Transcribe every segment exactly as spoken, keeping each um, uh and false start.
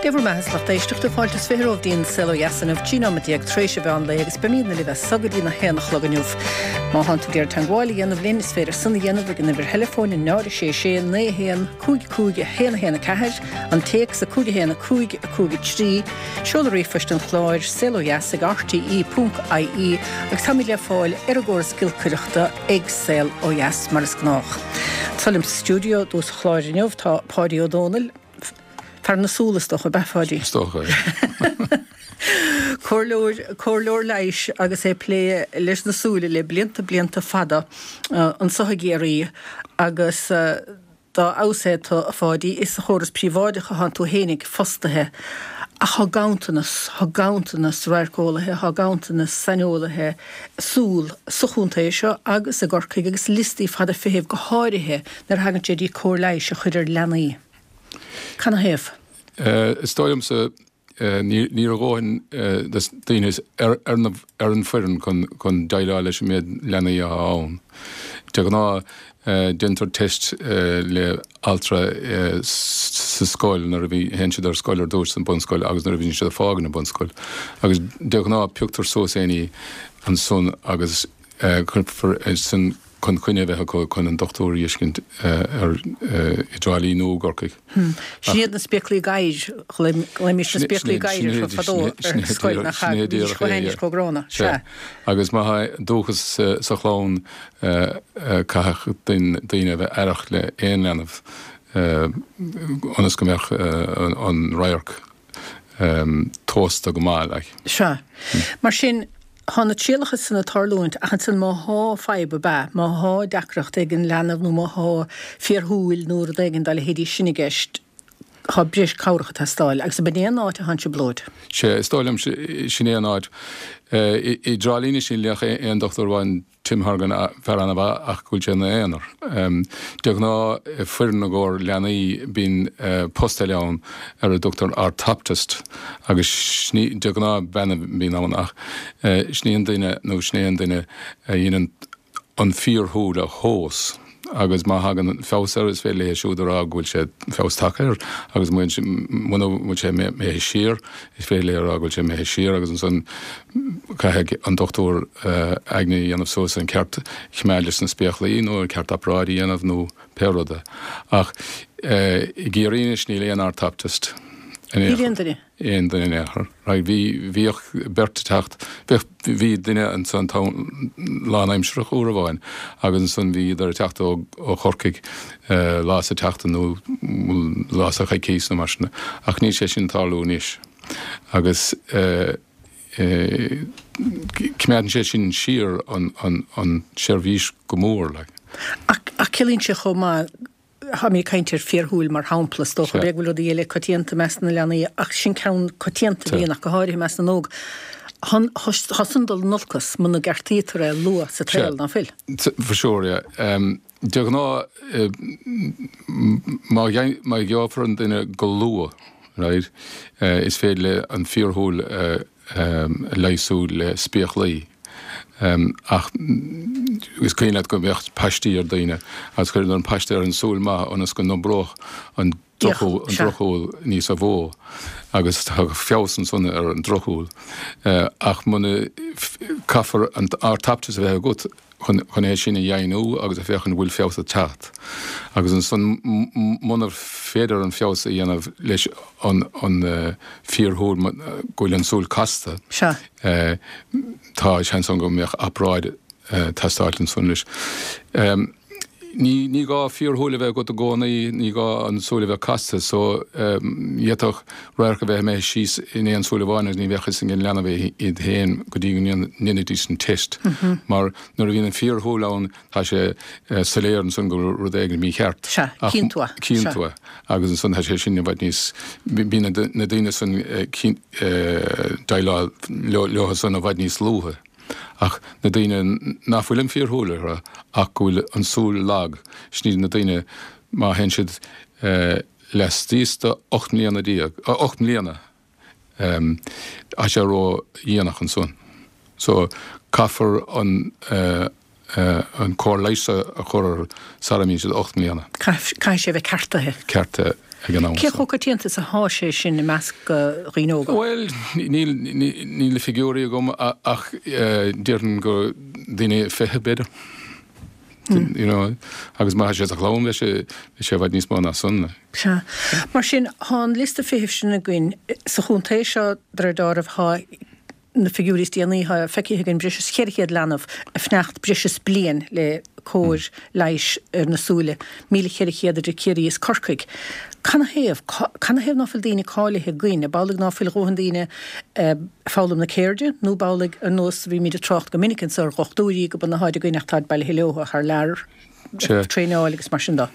Dé bhur mbeatha, a lucht éisteachta, fáilte is fiche romhaibh dtí'n Saol Ó Dheas inniu, trí nóiméad déag tar éis an mheán lae agus beimídne libh as so go dtí na haon a chlog inniu. Má thánn tú ag iarraidh teagmháil a dhéanamh linn, is féidir san a dhéanamh ag an uimhir theileafóin náid a sé sé naoi a haon cúig cúig a haon a haon a ceathair, an téacs a cúig a haon a cúig a cúig a trí, seoladh ríomhphoist an chláir, saol ó dheas ag R T E ponc I E, agus táimid le fáil ar an gcóras giolcaireachta ag Saol Ó Dheas mar is gnách. Tá liom sa stiúideo i dtús an chláir inniu tá Páidí Ó Dónaill, fear na súl is dócha, ab ea, a Pháidí? Is dócha. Comhairleoir comhairleoir leighis agus é ag plé leis na súile le blianta blianta fada anseo i gCiarraí agus dá fheabhas é tú, a Pháidí, is sa chóras príobháideach atánn tú fhéinig fostaithe ach tá ganntanas tá ganntanas radharceolaithe, tá ganntanas saineolaithe súl sa chontae seo agus i gCorcaigh agus liostaí fada feithimh, go háirithe nuair a thagann sé dtí cóir leighis a chur ar leanaí. Canathaobh? Is dóigh liomsa ní raibh dóthain daoine ar ar an foireann chun chun déileáil leis an méid leanaí atá ann. De ghnáth déantar test le altra sa scoil nuair a bhí théann siad ar scoil ar dtús san bunscoil agus nuair a bhíonn siad ag fágáil na bunscoil. Agus de ghnáth pioctar suas éinne ansan agus cuirfear san chun coinne a bheith acu chun an dochtúir a fheiscint ar i dTrá Lí nó i gCorcaigh. Sin iad na spéaclaí gadhair, ghlaoimis na spéaclaí gadhair orthu fadó ar scoil nach bhídís chomh hainnis chomh gránna. Sea. Agus má tá dúchas sa chlann, caithfidh daoine a bheith aireach le aon leanbh ionas go mbeadh an radharc tomhaiste go maith like. Sea. Mar sin, tá na trialacha san ag tarlúint ach ansan má thá fadhb ab ea, má thá deacracht ag an leanbh nó má thá fiarshúil nó rud éigin dá leithéidí sin i gceist, tá breis cabhrach ag teastáil agus ab in é an áit atánn trioblóid? Sea, is dóigh liom sin é an áit. I dTrá Lí anois níl ach aon dochtúir amháin, Tim Horgan, fear an-mhaith ach go bhfuil sé ina aonar. De ghnáth foireann i gcomhair leanaí bíonn post eile ann ar a dtugtar orthoptist agus de ghnáth bean a bhíonn ann ach sin í an duine nó sin é an duine a dhéanann an fíorshúil a thomhas agus má thagann feabhas air is féidir léi siúd a rá go bhfuil sé feabhas tagtha air agus muna bhfuil sé imithe siar is féidir léi a rá go bhfuil sé imithe siar agus ansan caithfidh an dochtúir aigne a dhéanamh suas an ceart coimeád leis na spéaclaí nó an ceart obráid a dhéanamh nó pé rud é. Ach i gCiarraí anois níl aon orthoptist. Níl aon duine? Aon duine in aon chor. Right, bhí bhíodh beirt ag teacht, bhíodh bhí duine ansan lánaimsearach uair amháin agus ansan bhíodar ag teacht ó ó Chorcaigh lá sa tseachtain nó lá sa choicís nó mar sin ach níl sé sin ag tarlú anois. Agus coimeádann sé sin siar an an an tseirbhís go mór like. Ach ach ciallaíonn sé chomh maith, táimid ag caint ar fiarshúil mar shampla, is dócha, b'fhéidir go bhfuil rudaí eile coitianta i measc na leanaí ach sin ceann coitianta a bhíonn ach go háirithe i measc na n-óg. Tá san dul in olcas muna gceartaítear é luath sa tsaol, ná fuil? For sure, yeah. De ghnáth má má gheofar an duine go luath, right, is féidir le an fiarshúil a leigheasú le spéaclaí. Ach is cuimhin leat go mbeadh paistí ar daoine agus chuireadar an paiste ar an súil maith ionas go n-oibreodh an drochshúil níos mó agus tá feabhas ansan ar an drochshúil. Ach muna caithfear an orthoptist a bheith agat chun chun é sin a dheimhniú agus a féachaint an bhfuil feabhas ag teacht. Agus ansan muna féidir an feabhas a dhéanamh leis an an fíorshúil, go bhfuil an súil casta, tá seans ann go mbeadh obráid ag teastáil ansan leis. Ní ní gá fíorshúil a bheith agat i gcónaí, ní gá an súil a bheith casta, so d'fhéadfadh radharc a bheith imithe síos in aon súil amháin agus ní bheadh fhios ag an leanbh iad féin go dtí go ndéanfaidís an test. Mar nuair a bhíonn an fíorshúil ann tá sé soiléir ansan go bhfuil rud éigin mícheart. Sea, cíonn tú é. Cíonn tú é. Agus ansan tá sé sin i bhfad níos, bíonn na daoine san déileáil leo san i bhfad níos luaithe. Ach na daoine nach bhfuil an fíorshúil orthu ach go bhfuil an súil lag, sin iad na daoine má théann siad laistíos de ocht mbliana déag, ocht mbliana, tá sé ró-dhéanach ansan. So caithfear an an cóir leighis a chur orthu sara mbíonn siad ocht mbliana. Caithfidh sé a bheith ceartaithe. Ceartaithe. ag an am. Cé chomh coitianta is atá sé sin i measc dhaoine óga? Bhuel, níl níl na figiúirí agam ach déarfainn go daoine fiche b'fhéidir. You know, agus má tá sé sa chlann bheadh sé bheadh sé i bhfad níos mó ná san. Sea. Mar sin, tá an liosta feithimh sin againn sa chontae seo de réir dealraimh tá na figiúirí is déanaí atá feicthe againn breis is ceithre chéad leanbh ag fanacht breis is bliain le cóir leighis ar na súile, míle ceithre chéad idir Ciarraí is Corcaigh. Canathaobh? Canathaobh ná fuil daoine cáilithe againn? Ab amhlaidh ná fuil a dhóthain daoine ag foghlaim na ceirde nó ab amhlaidh ar nós bhímid ag trácht go minic anso ar dhochtúirí go b'ionann atháid againn ach táid bailithe leo thar lear ag traenáil agus mar sin de?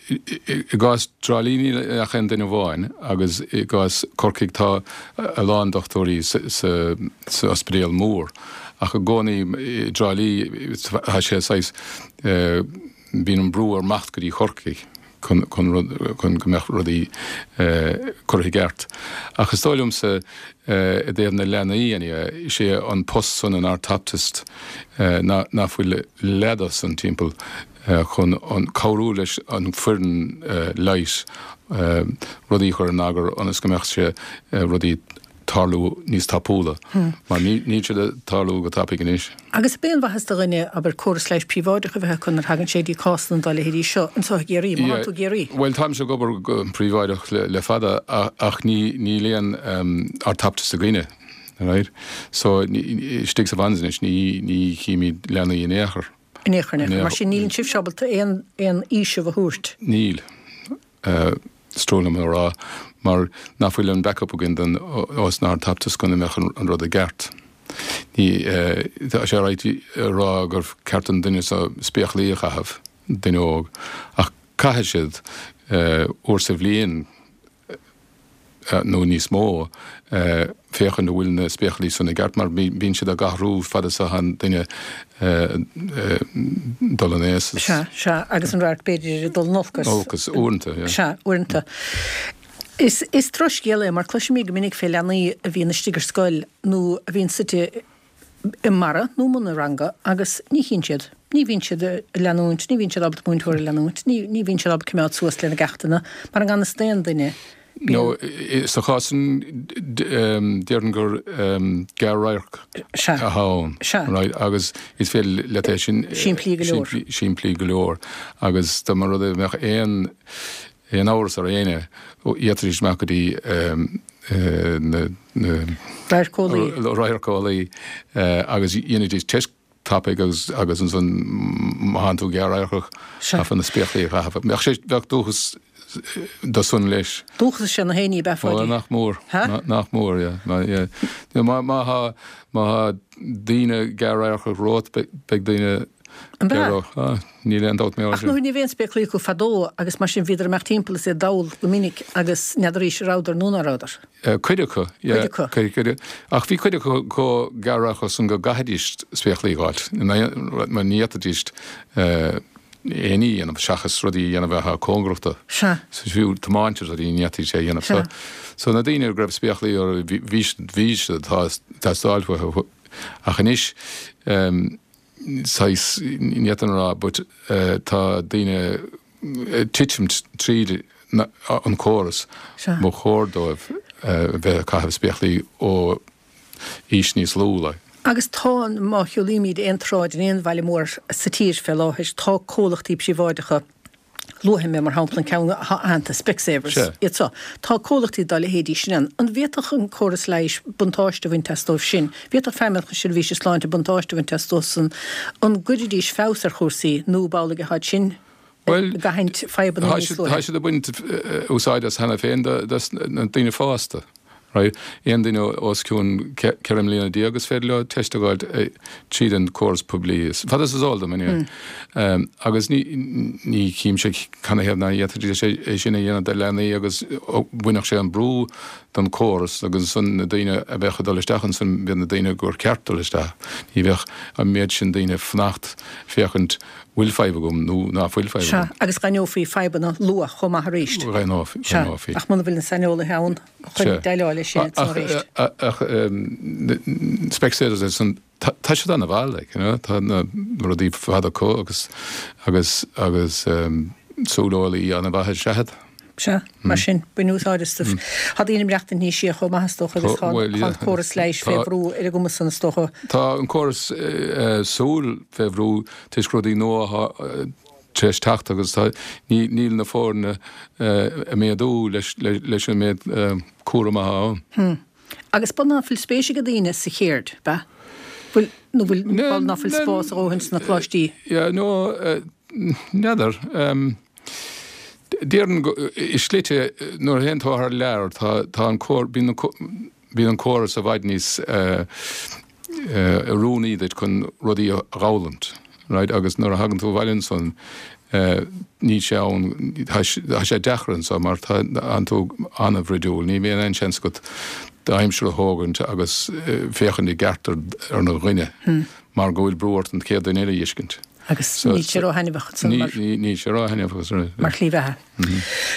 I gcás Trá Lí níl ach aon duine amháin agus i gcás Corcaigh tá a lán dochtúirí sa ospidéal mór ach i gcónaí i dTrá Lí tá sé saghas bíonn an brú ar imeacht go dtí Corcaigh chun chun chun go mbeadh rudaí curtha i gceart. Ach is dóigh liomsa i dtaobh na leanaí anyway, is é an post san an orthoptist ná ná fuil leath de san timpeall chun an cabhrú leis an foireann leighis rudaí a chur in eagar ionas go mbeadh sé rudaí tarlú níos tapúla mar níl siad ag tarlú go tapaidh anois. Agus ab aon mhaitheas do dhuine, abair, córas leighis príobháideach a bheith acu nuair a thagann sé dtí cásanna dá leithéidí seo anseo i gCiarraí, má tá tú i gCiarraí? Bhuel, táimse ag obair go príobháideach le fada ach níl aon orthoptist againne, right? So istigh sa Mhans anois ní chímid leanaí in aon chor. In aon chor, in aon chor. Mar sin, níl sibhse ábalta aon aon fhaoiseamh a thabhairt. Níl. Is trua liom a rá, mar nach bhfuil an backup againn don os na orthoptist go mbeadh an rud i gceart. Ní, tá sé right a rá gur ceart don duine seo spéaclaí a chaitheamh, duine óg, ach caithfidh siad uair sa bhliain, nó níos mó, féachaint an bhfuil na spéaclaí san i gceart, mar bíonn siad á n-athrú fad is atá an duine dul in aois. Sea, sea, agus an radharc b'fhéidir ag dul in olcas. Olcas, uaireanta, yeah. Sea, uaireanta. Is, is drochscéal é, mar cloisimid go minic fé leanaí a bhíonn istigh ar scoil nó a bhíonn suite i mbarra nó i mbun an ranga agus ní chíonn siad, ní bhíonn siad ag leanúint, ní bhíonn siad ábalta múinteoir a leanúint, ní, ní bhíonn siad ábalta coimeád suas lena gceachtanna, mar i ngan fhios d'aon duine. No, sa chás sin déarfainn gur gearr-radharc atá ann. Right, agus is féidir leat é sin simplí go leor. Simplí go leor. Agus dá mba rud é bheadh aon aon amhras ar éinne, d'fhéadfaidís imeacht go dtí na na Radharceolaí. Radharceolaí agus dhéanfaidís teist tapaidh agus agus ansan má thánn tú gearr-radharcach caithfear na spéaclaí a chaitheamh. Bheadh sé bheadh dóchas do san leis. Dóchas is ea na haon ní ab ea, Ó nach mór. Ha? Nach mór, yeah. Má yeah. Má má thá má thá daoine gearr-radharcach romhat beidh daoine An b'ea? Ah, níl aon dabht mé Ach nuair ní bhí aon spéaclaí acu fadó agus mar sin bhíodar ag imeacht timpeall is iad dall go minic agus n'fheadaraís an rabhadar nó ná rabhadar. Cuid acu, yeah. Cuid acu. Cuid, cuid, ach bhí cuid acu chomh gearr-radharcach san go gcaithfidís spéaclaí a fháilt, mar ní fhéadfaidís aon ní a dhéanamh seachas rudaí a dhéanamh atá cóngarach dó. Sea. So fiú tiomáint is rudaí ní fhéadfaidís é a dhéanamh. Sea. So, so na daoine go raibh spéaclaí orthu bhí, bhí, bhí siad ag teastáil uathu. Ach anois, saghas, ní fhéadfainn a rá but tá daoine ag titim tríd an córas, ba chóir dóibh bheith ag caitheamh spéaclaí ó aois níos lú like. Agus tá, má shiúlaímid aon tsráid in aon bhaile mór sa tír fé láthair, tá comhlachtaí príobháideacha, Luafaidh mé, mar shampla, an ceann atá aitheanta, Specsavers, iad seo. Tá comhlachtaí dá leithéidí sin ann. An bhféadfadh an córas leighis buntáiste a bhaint as dóibh sin? Bhféadfadh Feidhmeannacht na Seirbhíse Sláinte buntáiste a bhaint as dóibhsan? An gcuirfidís feabhas ar chúrsaí nó ab amhlaidh atá sin ag aithint fadhbanna níos luaithe? Tá siad ag baint úsáid as cheana féin dos na daoine fásta. Right? Aon duine os cionn ceithre mbliana déag is féidir leo teist a fháilt tríd an córas poiblí. Fad is is eol dom, anyway. Agus ní ní chímse canathaobh nach bhféadfaidís é sin a dhéanamh do leanaí agus bhainfeadh sé an brú don córas agus ansan na daoine a bheadh ag dul isteach ansan bheadh na daoine gur ceart dul isteach. Ní bheadh an méid sin daoine ag fanacht féachaint bhfuil fadhb agam nó ná fuil fadhb Sea, agam. agus d'aithneofaí fadhbanna luath chomh maith arís. D'aithneofaí, Sea, d'aithneofaí. ach muna bhfuil na saineolaithe ann chun Sea. déileáil leis sin Ach, arís. ach, Specsavers ansan, tá, tá siad ana-mhaith, like, you know, tá na rudaí fada acu agus, agus, agus, súileolaí an-mhaith is ea iad. Sea, mar sin, bain úsáid astu. Tá daoine ag maireachtaint níos sia chomh maith is dócha agus tá an córas leighis fé bhrú ar a gcumas san is dócha. Tá an córas súl fé bhrú toisc rudaí nua tar éis teacht agus tá níl na foirne ag méadú leis an méid cúram atá ann. Agus b'fhéidir ná fuil spéis ag daoine sa cheird, b'ea? Bhfuil, nó bhfuil, bhuel ná fuil spás a dhóthain sna coláistí? Yeah, no, n'fheadar. Déarfainn i slite nuair a théann tú thar lear tá tá an cór bíonn bíonn an córas i bhfad níos oiriúnaí duit chun rudaí a dh'fhoghlaint, right, agus nuair a thagann tú abhaile ansan níl sé ann tá sé deacair anso mar tá tú an-bhruidiúil, ní bhíonn aon seans agat d'aimsir a thógaint agus féachaint i gceart ar ar an dhuine mar go bhfuil brú ort an chéad duine eile a fheiscint. Agus níl sé ró-thaitneamhach ansan mar. Níl sé ró-thaitneamhach. Mar shlí bheatha.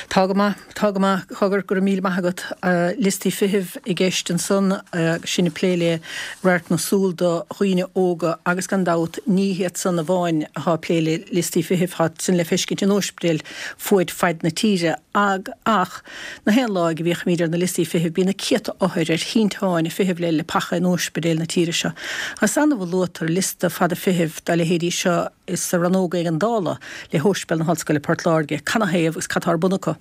Tá go maith, tá go maith, cogar, go raibh míle maith agat. Liostaí feithimh i gceist ansan agus sinn ag plé le radharc na súl do dhaoine óga agus gan dabht ní hiad san amháin atá ag plé le liostaí feithimh, tá sin le feiscint in ospidéil fuaid faid na tíre ag ach na haon lá go bhféachaimid ar na liostaí feithimh bíonn na céadta othair ar shínteáin ag feitheamh le leapacha in ospidéil na tíre seo. Is annamh a luaitear liosta fada feithimh dá leithéidí seo sa rannóg éigeandála le hOspidéal na hOllscoile Port Láirge. Canathaobh agus cad tá ar bun acu?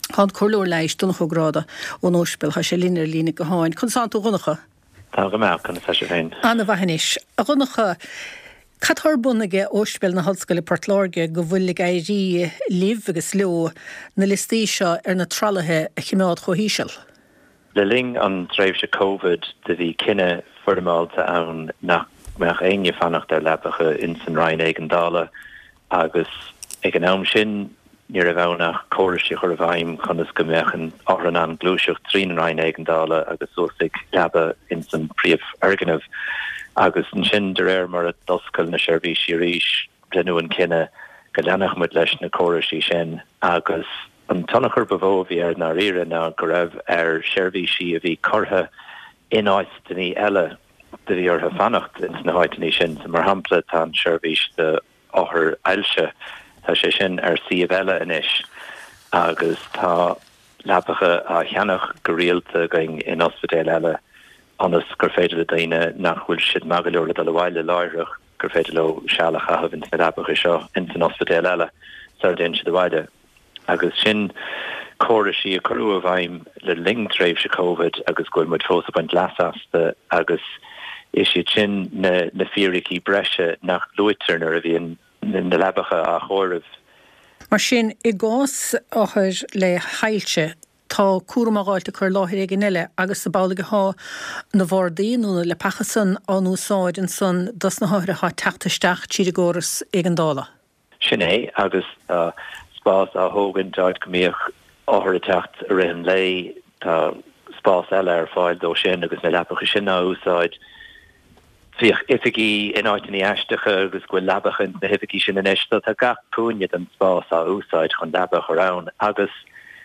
Tá an Comhairleoir Leighis Donncha Ó Gráda ón Ospidéal, tá sé linn ar líne gutháin. Conas tánn tú a Dhonncha? Tá go maith, conas tá sibh féin? Ana-mhaith anois. A Dhonncha, cad tá ar bun aige Ospidéal na hOllscoile Port Láirge go bhfuil ag éirí libh agus leo na liostaí seo ar na tralaithe a chimeád chomh híseal? Le linn an tréimhse Covid do bhí cinneadh foirmeálta ann nach mbeadh éinne fanacht ar leapacha ins an Roinn Éigeandála agus ag an am sin ní raibh ann ach córais a chur i bhfeidhm conas go mbeadh an othar in ann gluaiseacht trín an Roinn Éigeandála agus suas ag leaba ins an príomhfhoirgneamh. Agus ansin de réir mar a d'oscail na seirbhísí arís deineadh an cinneadh go leanfadh muid leis na córaisí sin agus an tionchar ba mhó a bhí air i ndáiríre ná go raibh ar sheirbhísí a bhí curtha in áiteanna eile do bhí orthu fanacht ins na háiteanna sin. So mar shampla tá an seirbhís do othair ailse, tá sé sin ar suíomh eile anois agus tá leapacha á cheannach go rialta againn in ospidéil eile ionas gur féidir le daoine nach bhfuil siad maith go leor le dul abhaile láithreach gur féidir leo seal a chaitheamh ins na leapacha seo ins an ospidéal eile sara dtéann siad abhaile. Agus sin córaisí a cuireadh i bhfeidhm le linn tréimhse Covid agus go bhfuil muid fós ag baint leas astu agus is iad sin na na fíricí breise nach luaitear nuair a bhíonn na leabacha á chomhaireamh. Mar sin, i gcás othair le hailse, tá cúram á dh'fháilt acu ar láthair éigin eile agus ab amhlaidh athá na bhardaí nó na leapacha san á n-úsáid ansan dos na hothair athá ag teacht isteach tríd an gcóras éigeandála. Sin é, agus tá spás á thógaint áit go mbíodh othair ag teacht i rith an lae, tá spás eile ar fáil dó sin agus na leapacha sin á úsáid. Bhíodh oifigí in áiteanna aisteacha agus go bhfuil leabacha ins na hoifigí sin anois, so tá gach cúinne den spás á úsáid chun leaba a chur ann agus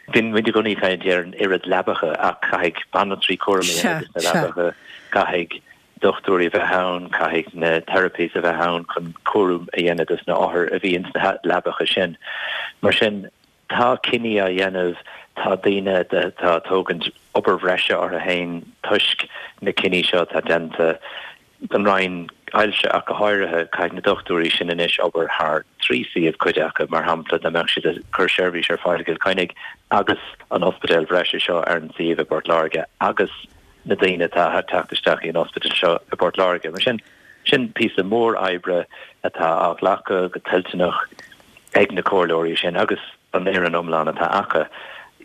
bíonn muid i gcónaí ag caint ar an oiread leabacha ach caithfidh banaltraí cúram a dhéanamh dos na leabacha, caithfidh dochtúirí a bheith ann, caithfidh na therapies a bheith ann chun cúram a dhéanamh dos na othair a bhí ins na leabacha sin. Mar sin, tá cinní á dhéanamh, tá daoine atá ag tógaint obair bhreise orthu féin toisc na cinní seo atá déanta don Roinn Ailse ach go háirithe. Caithfidh na dochtúirí sin anois obair thar trí suíomh, cuid acu, mar shampla, dá mbeadh siad ag cur seirbhís ar fáil i gCill Chainnigh agus an ospidéal bhreise seo ar an suíomh i bPort Láirge agus na daoine atá ag teacht isteach chuig an ospidéal seo i bPort Láirge. Mar sin, sin píosa mór oibre atá á ghlacadh go toilteanach ag na comhairleoirí sin agus an fhoireann iomlán atá acu.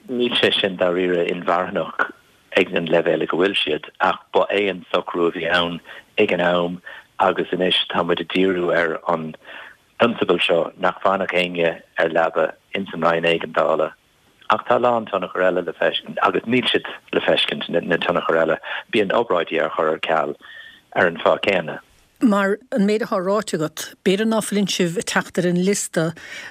Níl sé sin dáiríre inmharthanach ag an leibhéal ag a bhfuil siad ach ba é an socrú a bhí ann ag an am agus anois tá muid ag díriú ar an bprionsabal seo nach bhfanfadh éinne ar leaba ins an Roinn Éigeandála. Ach tá a lán tionchar eile le feiscint, agus níl siad le feiscint, na tionchair eile. Bíonn obráidí á chur ar ceal ar an fáth céanna. Mar an méid atá ráite agat, b'fhéidir ná fuileann sibh ag teacht ar an liosta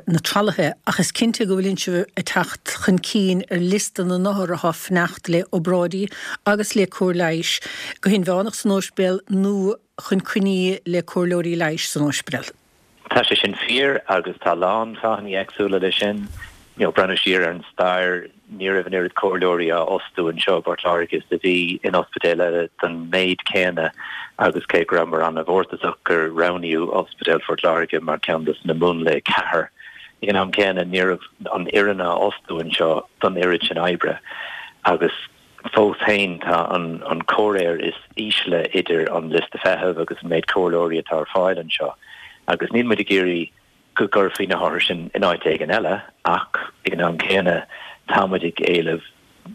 na tralaithe, ach is cinnte go bhfuileann sibh ag teacht chun cinn ar liosta na n-othar atá ag fanacht le obráidí agus le cóir leighis, go hinmheánach san óispidéal nó chun coinní le comhairleoirí leighis san óispidéal. Tá sé sin fíor agus tá a lán fáthanna éagsúla leis sin. You know, breathnú siar ar an stair ní raibh an oiread comhairleoirí á bhfostú anseo i bPort Láirge is a bhí in ospidéil eile don méid céanna agus cé go rabhamar an-mhórtasach gur roghnaíodh Ospidéal Phort Láirge mar ceann de na múnlaí ceathair ag an am céanna ní raibh an fhoireann á fhostú anseo don oiread sin oibre agus fós féin tá an an comhréir is ísle idir an liosta feithimh agus an méid comhairleoirí atá ar fáil anseo agus níl muid ag iarraidh go gcuirfí na hothair sin in áit éigin eile ach ag an am céanna tá muid ag éileamh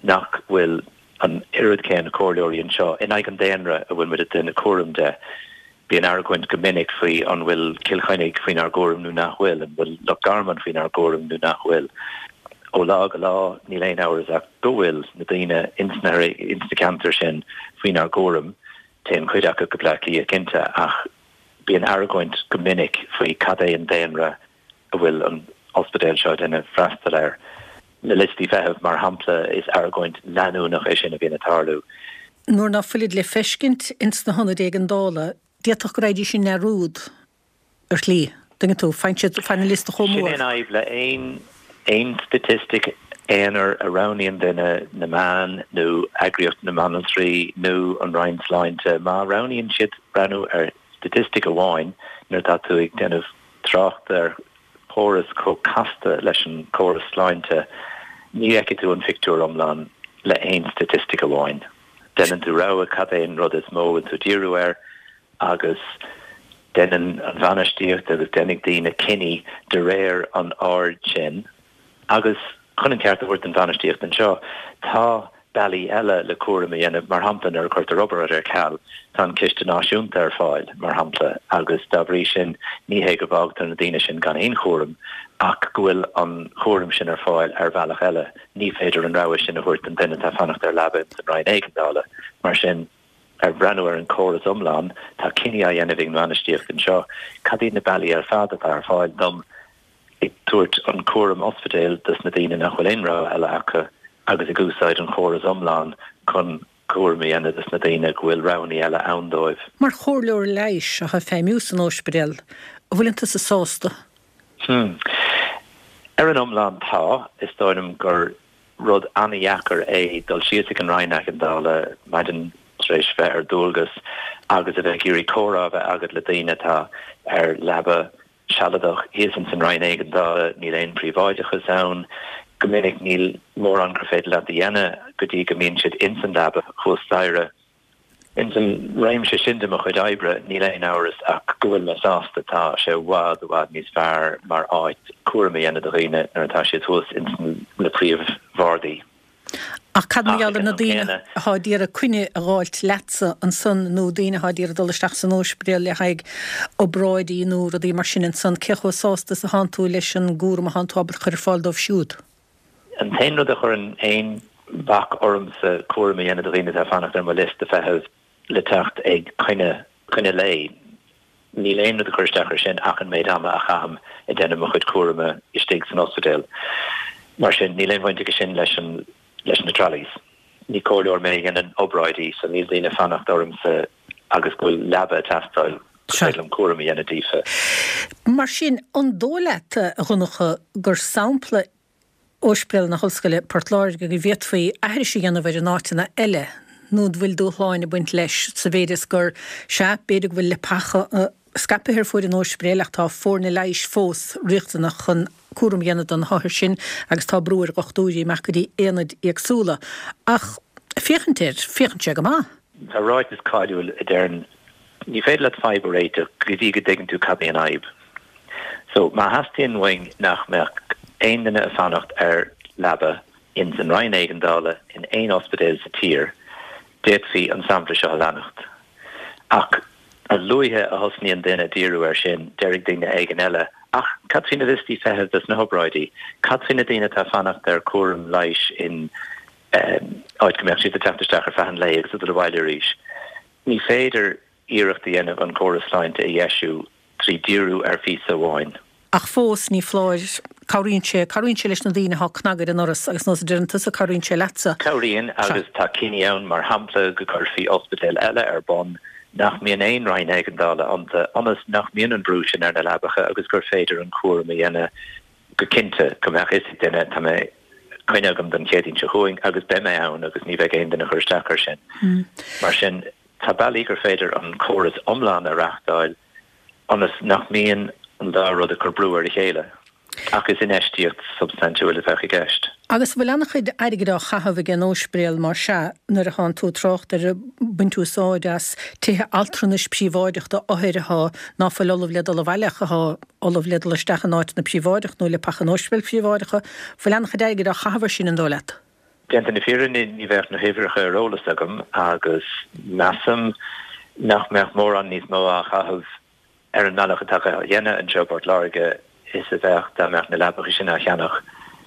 nach bhfuil an oiread céanna comhairleoirí anseo in aghaidh an daonra a bhfuil muid ag déanamh cúram de. Bíonn argóint go minic faoi an bhfuil Cill Chainnigh faoinár gcúram nó nach bhfuil, an bhfuil Loch Garman faoinár gcúram nó nach bhfuil. Ó lá go lá níl aon amhras ach go bhfuil na daoine ins na ins na ceantair sin faoinár gcúram, téann cuid acu go Bleá Cliath cinnte ach bíonn argóint go minic faoi cad é an daonra a bhfuil an ospidéal seo ag déanamh freastal air. Na liostaí feithimh, mar shampla, is argóint leanúnach é sin a bhíonn ag tarlú. Nuair ná fuilid le feiscint ins na hionaid éigeandála, d'fhéadfadh go raghaidís i ndearúd ar shlí. Tuigeann tú, faigheann siad, faigheann an liosta chomh Sin mór. é an fhadhb le aon aon staitistic aonair a roghnaíonn duine, na meáin nó eagraíocht na mbanaltraí nó an Roinn Sláinte, má roghnaíonn siad breathnú ar staitistic amháin nuair atá tú ag déanamh trácht ar chóras chomh casta leis an chóras sláinte, ní fheicfidh tú an phictiúr iomlán le haon staitistic amháin. Déanann tú rogha cad é an rud is mó a bhfuil tú ag díriú air agus déanann an bhainistíocht agus déanfaidh daoine cinní de réir an aird sin. Agus chun an ceart a thabhairt don bhainistíocht anseo, tá bealaí eile le cúram a dhéanamh, mar shampla nuair a chuirtear obráid ar ceal, tá an Ciste Náisiúnta ar fáil, mar shampla, agus dá bhrí sin ní hé go bhfágtar na daoine sin gan aon chúram ach go bhfuil an chúram sin ar fáil ar bhealach eile. Ní féidir an rogha sin a thabhairt don duine atá ag fanacht ar leaba ins an Roinn Éigeandála. Mar sin, ar bhreathnú ar an chóras iomlán, tá cinní á dhéanamh ag an bhainistíocht anseo, cad iad na bealaí ar fad atá ar fáil dom ag tabhairt an cúram ospidéil dos na daoine nach bhfuil aon rogha eile acu agus ag úsáid an chóras iomlán chun cúram a dhéanamh dos na daoine go bhfuil roghanna eile ann dóibh. Mar chomhairleoir leighis atá ag feidhmiú san ospidéal, an bhfuileann tusa sásta? Hmm. Ar an iomlán tá, is dóigh liom gur rud an-dheacair é dul síos ag an Roinn Éigeandála maidin tar éis bheith ar dualgas agus a bheith ag iarraidh comhrá a bheith agat le daoine atá ar leaba sealadach thíos ins an Roinn Éigeandála, níl aon príobháideachas ann, go minic níl mórán gur féidir leat a dhéanamh go dtí go mbíonn siad ins an leaba thuas staighre. Ins an réimse sin de mo chuid oibre, níl aon amhras ach go bhfuil mé sásta, tá sé i bhfad, i bhfad níos fearr mar áit cúram a dhéanamh do dhaoine nuair atá siad thuas ins na príomhbhardaí. Ach cad mar gheall ar na daoine atá ag iarraidh coinne a dh'fháilt leatsa ansan nó daoine atá ag iarraidh dul isteach san óispidéal le haghaidh obráidí nó rudaí mar sin ansan, cé chomh sásta is atánn tú leis an gcúram atánn tú ábalta chur ar fáil dóibh siúd? An t-aon rud a chuireann aon bhac ormsa cúram a dhéanamh do dhaoine atá ag fanacht ar mo liosta feithimh le teacht ag coinne, coinne lae, níl aon rud ag cur isteach air sin ach an méid ama a chaithim ag déanamh mo chuid cúraim istigh san ospidéal. Mar sin, níl aon bhaint aige sin leis an leis na trolleys. Ní comhairleoir mé a dhéanann obráidí, so níl daoine ag fanacht ormsa agus go bhfuil leaba ag teastáil gur féidir liom cúram a dhéanamh daofa. Mar sin, an dóigh leat, a Dhonncha, gur sampla Ospidéal na hOllscoile, Port Láirge, go bhféadfaí aithris a dhéanamh air in áiteanna eile, nó an bhfuil dúshláin ag baint leis, sa mhéid is gur, sea, b'fhéidir go bhfuil leapacha scaipthe ar fuaid an óispidéil ach tá foirne leighis fós riachtanach chun cúram a dhéanamh do na hothair sin agus tá brú ar dhochtúirí imeacht go dtí aonaid éagsúla. Ach féachaint air, féachann sé go maith. Tá ráiteas cáiliúil a deireann, ní féidir leat fadhb a réiteach go dtí go dtuigeann tú cad é an fhadhb. So, má theastaíonn uainn nach mbeadh aon duine ag fanacht ar leaba ins an Roinn Éigeandála in aon ospidéal sa tír, d'fhéadfaí an sampla seo a leanacht. Ach a luaithe a thosnaíonn duine ag díriú air sin, déarfaidh duine éigin eile, Ach cad faoi na liostaí feithimh dos na hobráidí? Cad faoi na daoine atá ag fanacht ar chúram leighis in áit go mbeadh siad ag teacht isteach ar feadh an lae agus ag dul abhaile arís? Ní féidir iarracht a dhéanamh an córas sláinte a dheisiú trí dhíriú ar phíosa amháin. Ach fós, ní foláir, cabhraíonn sé, cabhraíonn sé leis na daoine atá ag cnagadh ar an ndoras agus nós a deireann tusa, cabhraíonn sé leatsa. Cabhraíonn, agus tá cinní ann, mar shampla, go gcuirfí ospidéal eile ar bun nach mbíonn aon roinn éigeandála iontu, ionas nach mbíonn an brú sin ar na leapacha agus gur féidir an cúram a dhéanamh go cinnte, go mbeadh fhios ag duine, tá mé coinne agam don Chéadaoin seo chugainn agus beidh mé ann agus ní bheidh aon duine ag cur isteach air sin. Mar sin, tá bealaí gur féidir an córas iomlán a reáchtáil ionas nach mbíonn an dá rud ag cur brú ar a chéile. Ach is infheistíocht shubstaintiúil a bheadh i gceist. Agus an bhfuil an-chuid airgid á chaitheamh ag an Ospidéal mar sea nuair a thánn tú ag trácht ar baint úsáid as tithe altranais príobháideach do othair athá ná fuil ullamh le dul abhaile ach athá ullamh le dul isteach in áiteanna príobháideach nó leapacha in ospidéil phríobháideacha, bhfuil an-chuid airgid á chaitheamh ar sin an dóigh leat? Déanta na fírinne ní bheadh na huimhreacha ar eolas agam agus measaim nach mbeadh mórán níos mó á chaitheamh ar an mbealach atá á dhéanamh anseo i bPort Láirge is a bheadh dá mbeadh na leapacha sin á cheannach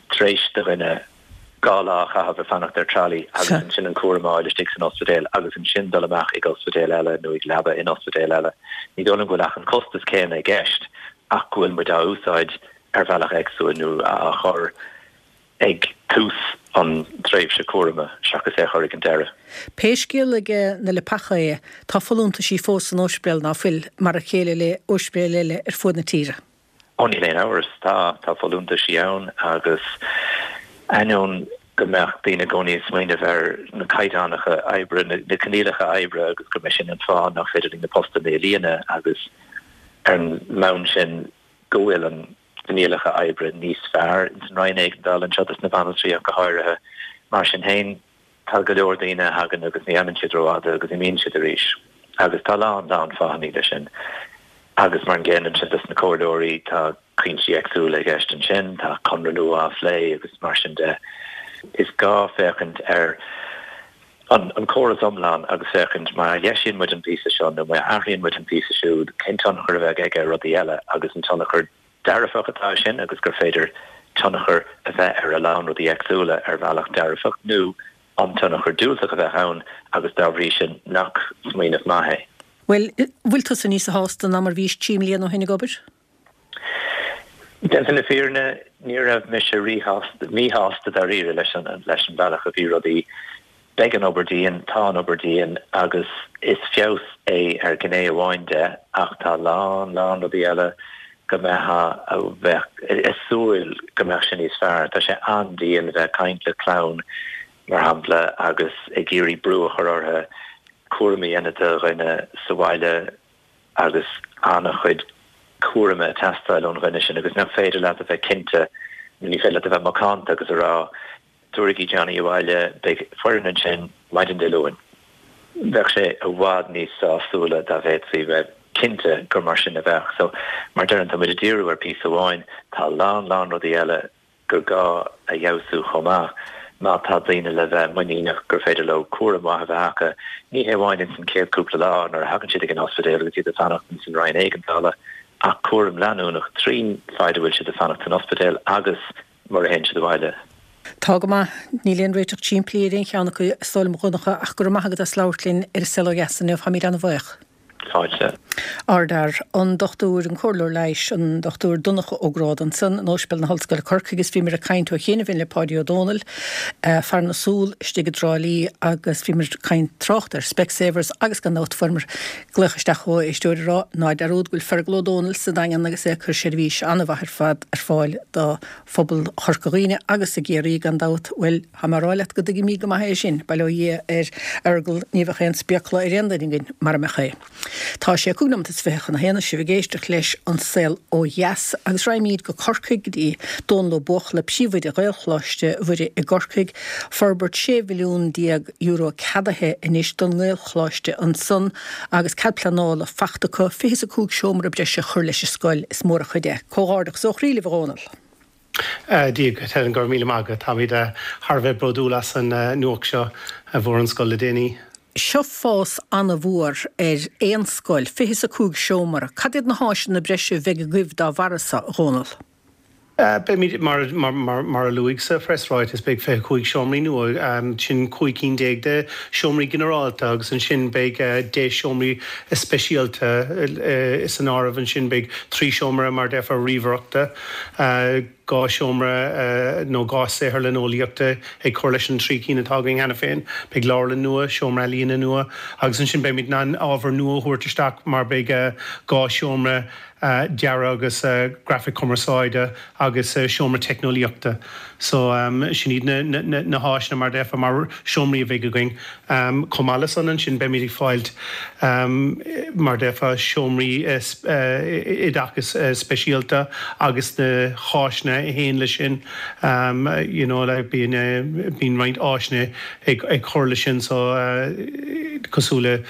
tar éis do dhuine dhá lá a chaitheamh ag fanacht ar trolley agus ansin an cúram a fháil istigh san ospidéal agus ansin dul amach ag ospidéal eile nó ag leaba in ospidéal eile. Ní dóigh liom go bhfuil ach an costas céanna i gceist ach go bhfuil muid á úsáid ar bhealach éagsúil nó á chur ag tús an tréimhse cúraim seachas é a chur ag an deireadh. Pé scéal ag na leapacha é, tá folúntaisí fós san ospidéal, ná fuil, mar a chéile le ospidéil eile ar fuaid na tíre? Ó níl aon amhras, tá, tá folúntaisí ann agus ainneoin go mbeadh daoine i gcónaí ag smaoineamh ar na caighdeánacha oibre, na coinníollacha oibre agus go mbeidh sin an fáth nach féidir linn na postanna a líonadh agus ar an mbonn sin go bhfuil an coinníollacha oibre níos fearr ins an Roinn Éigeandála anseo dos na banaltraí ach go háirithe. Mar sin féin, tá go leor daoine a thagann agus ní fhanann siad rófhada agus imíonn siad arís. Agus tá a lán, lán fáthanna leis sin. Agus mar an gcéanna ansin dos na comhairleoirí, tá cuinsí éagsúla i gceist ansin, tá conradh nua á phlé agus mar sin de. Is gá féachaint ar an an córas iomlán agus féachaint má dheisíonn muid an píosa seo nó má athraíonn muid an píosa siúd, cén tionchar a bheidh aige ar rudaí eile agus an tionchar dearfach atá sin agus gur féidir tionchar a bheith ar a lán rudaí éagsúla ar bhealach dearfach nó an tionchar diúltach a bheith ann agus dá bhrí sin nach smaoineamh maith é. Bhuel, bhfuil tusa níosa shásta ná mar bhís trí mbliana ó shin ag obair? Déanta na fírinne, ní raibh mise ríshásta, míshásta dáiríre leis an leis an bhealach a bhí rudaí. Beidh an obair dian, tá an obair dian agus is feabhas é ar ghné amháin de ach tá a lán, lán rudaí eile go mbeifeá a bheith ag súil go mbeadh sé níos fearr. Tá sé an-dian bheith ag caint le clann, mar shampla, agus ag iarraidh brú a chur orthu cúram a dhéanamh de dhuine sa bhaile agus an-chuid cúraim ag teastáil ón dhuine sin agus nach féidir leat a bheith cinnte, ní féidir leat a bheith macánta agus a rá Tabhairigí Johnny abhaile, beidh foireann ansin maidin Dé Luain. Bheadh sé i bhfad níos sásúla dá bhféadfaí bheith cinnte gur mar sin a bheadh. So, mar deirim, tá muid ag díriú ar phíosa amháin, tá a lán, lán rudaí eile gur gá a fheabhsú chomh maith má tá daoine le bheith muiníneach gur féidir leo cúram maith a bheith acu, ní hé amháin ins an chéad cúpla lá nuair a thagann siad ag an ospidéal agus iad ag fanacht ins an roinn éigeandála ach cúram leanúnach trín faid a bhfuil siad ag fanacht san ospidéal agus mura théann siad abhaile. Tá go maith. Níl aon réiteach simplí ar aon cheann acu, is dóigh liom, a Dhonncha, ach go raibh maith agat as labhairt linn ar An Saol Ó Dheas inniu. Táimid an-bhuíoch. Fáilte. Ardfhear, an Dochtúir, an Comhairleoir Leighis, an Dochtúir Donncha Ó Gráda ansan in Ospidéal na hOllscoile Corcaigh agus bhíomar ag caint ó chianaibh le Páidí Ó Dónaill, fear na súl istigh i dTrá Lí agus bhíomar ag caint trácht ar Specsavers agus gan dabht fuaireamar glaoch isteach ó éisteoir ag rá ná dearúd go bhfuil Fergal Ó Dónaill sa Daingean agus é ag cur seirbhís an-mhaith ar fad ar fáil do phobal Chorca Dhuibhne agus i gCiarraí gan dabht. Bhuel, tá mé a rá leat go dtuigimid go maith é sin, bail ó Dhia ar Fhergal, ní bheadh aon spéacla ar aon duine againn mara mbeadh é. Tá sé cúig nóiméad is fiche chun a haon is sibh ag éisteacht leis An Saol Ó Dheas agus raghaimid go Corcaigh go dtí Dónal Ó Buachalla, Príomhoide Ghaelcholáiste Mhuire i gCorcaigh. Forbairt sé mhilliún déag euro ceadaithe anois don nGaelcholáiste ansan agus cead pleanála fachta acu fiche is a cúig seomra breise a chur leis an scoil. Is mór an chuid é. Comhghairdeachas ó chroí libh a Dhónaill. Dia dhuit Helen, go raibh míle maith agat. Táimid thar a bheith bródúil as an nuacht seo a bhfuair an scoil le déanaí. Seo fás an-mhór ar aon scoil, fiche is a cúig seomra. Cad iad na háiseanna breise a bheidh agaibh dá bharra so, a Dhónaill? Beimid, mar a luadh sa phreasráiteas, beidh fiche cúig seomraí nua, sin cúig cinn déag de seomraí ginearálta agus ansin beidh deich seomraí speisialta san áireamh ansin. Beidh trí seomra, mar a déarfá, ríomhaireachta, dhá seomra nó dhá saotharlann eolaíochta ag cur leis an trí cinn atá againn cheana féin. Beidh leabharlann nua, seomra ealaíne nua agus ansin beimid in ann ábhar nua a thabhairt isteach mar beidh dhá seomra dearaidh agus grafaic cumarsáide agus seomra teicneolaíochta. So sin iad na háiseanna mar déarfá mar seomraí a bheidh againn. Chomh maith le san ansin beimid ag fáilt mar déarfá seomraí oideachais speisialta agus na háiseanna a théann leis sin you know like bíonn bíonn roinnt áiseanna ag ag cur leis sin so cosúil le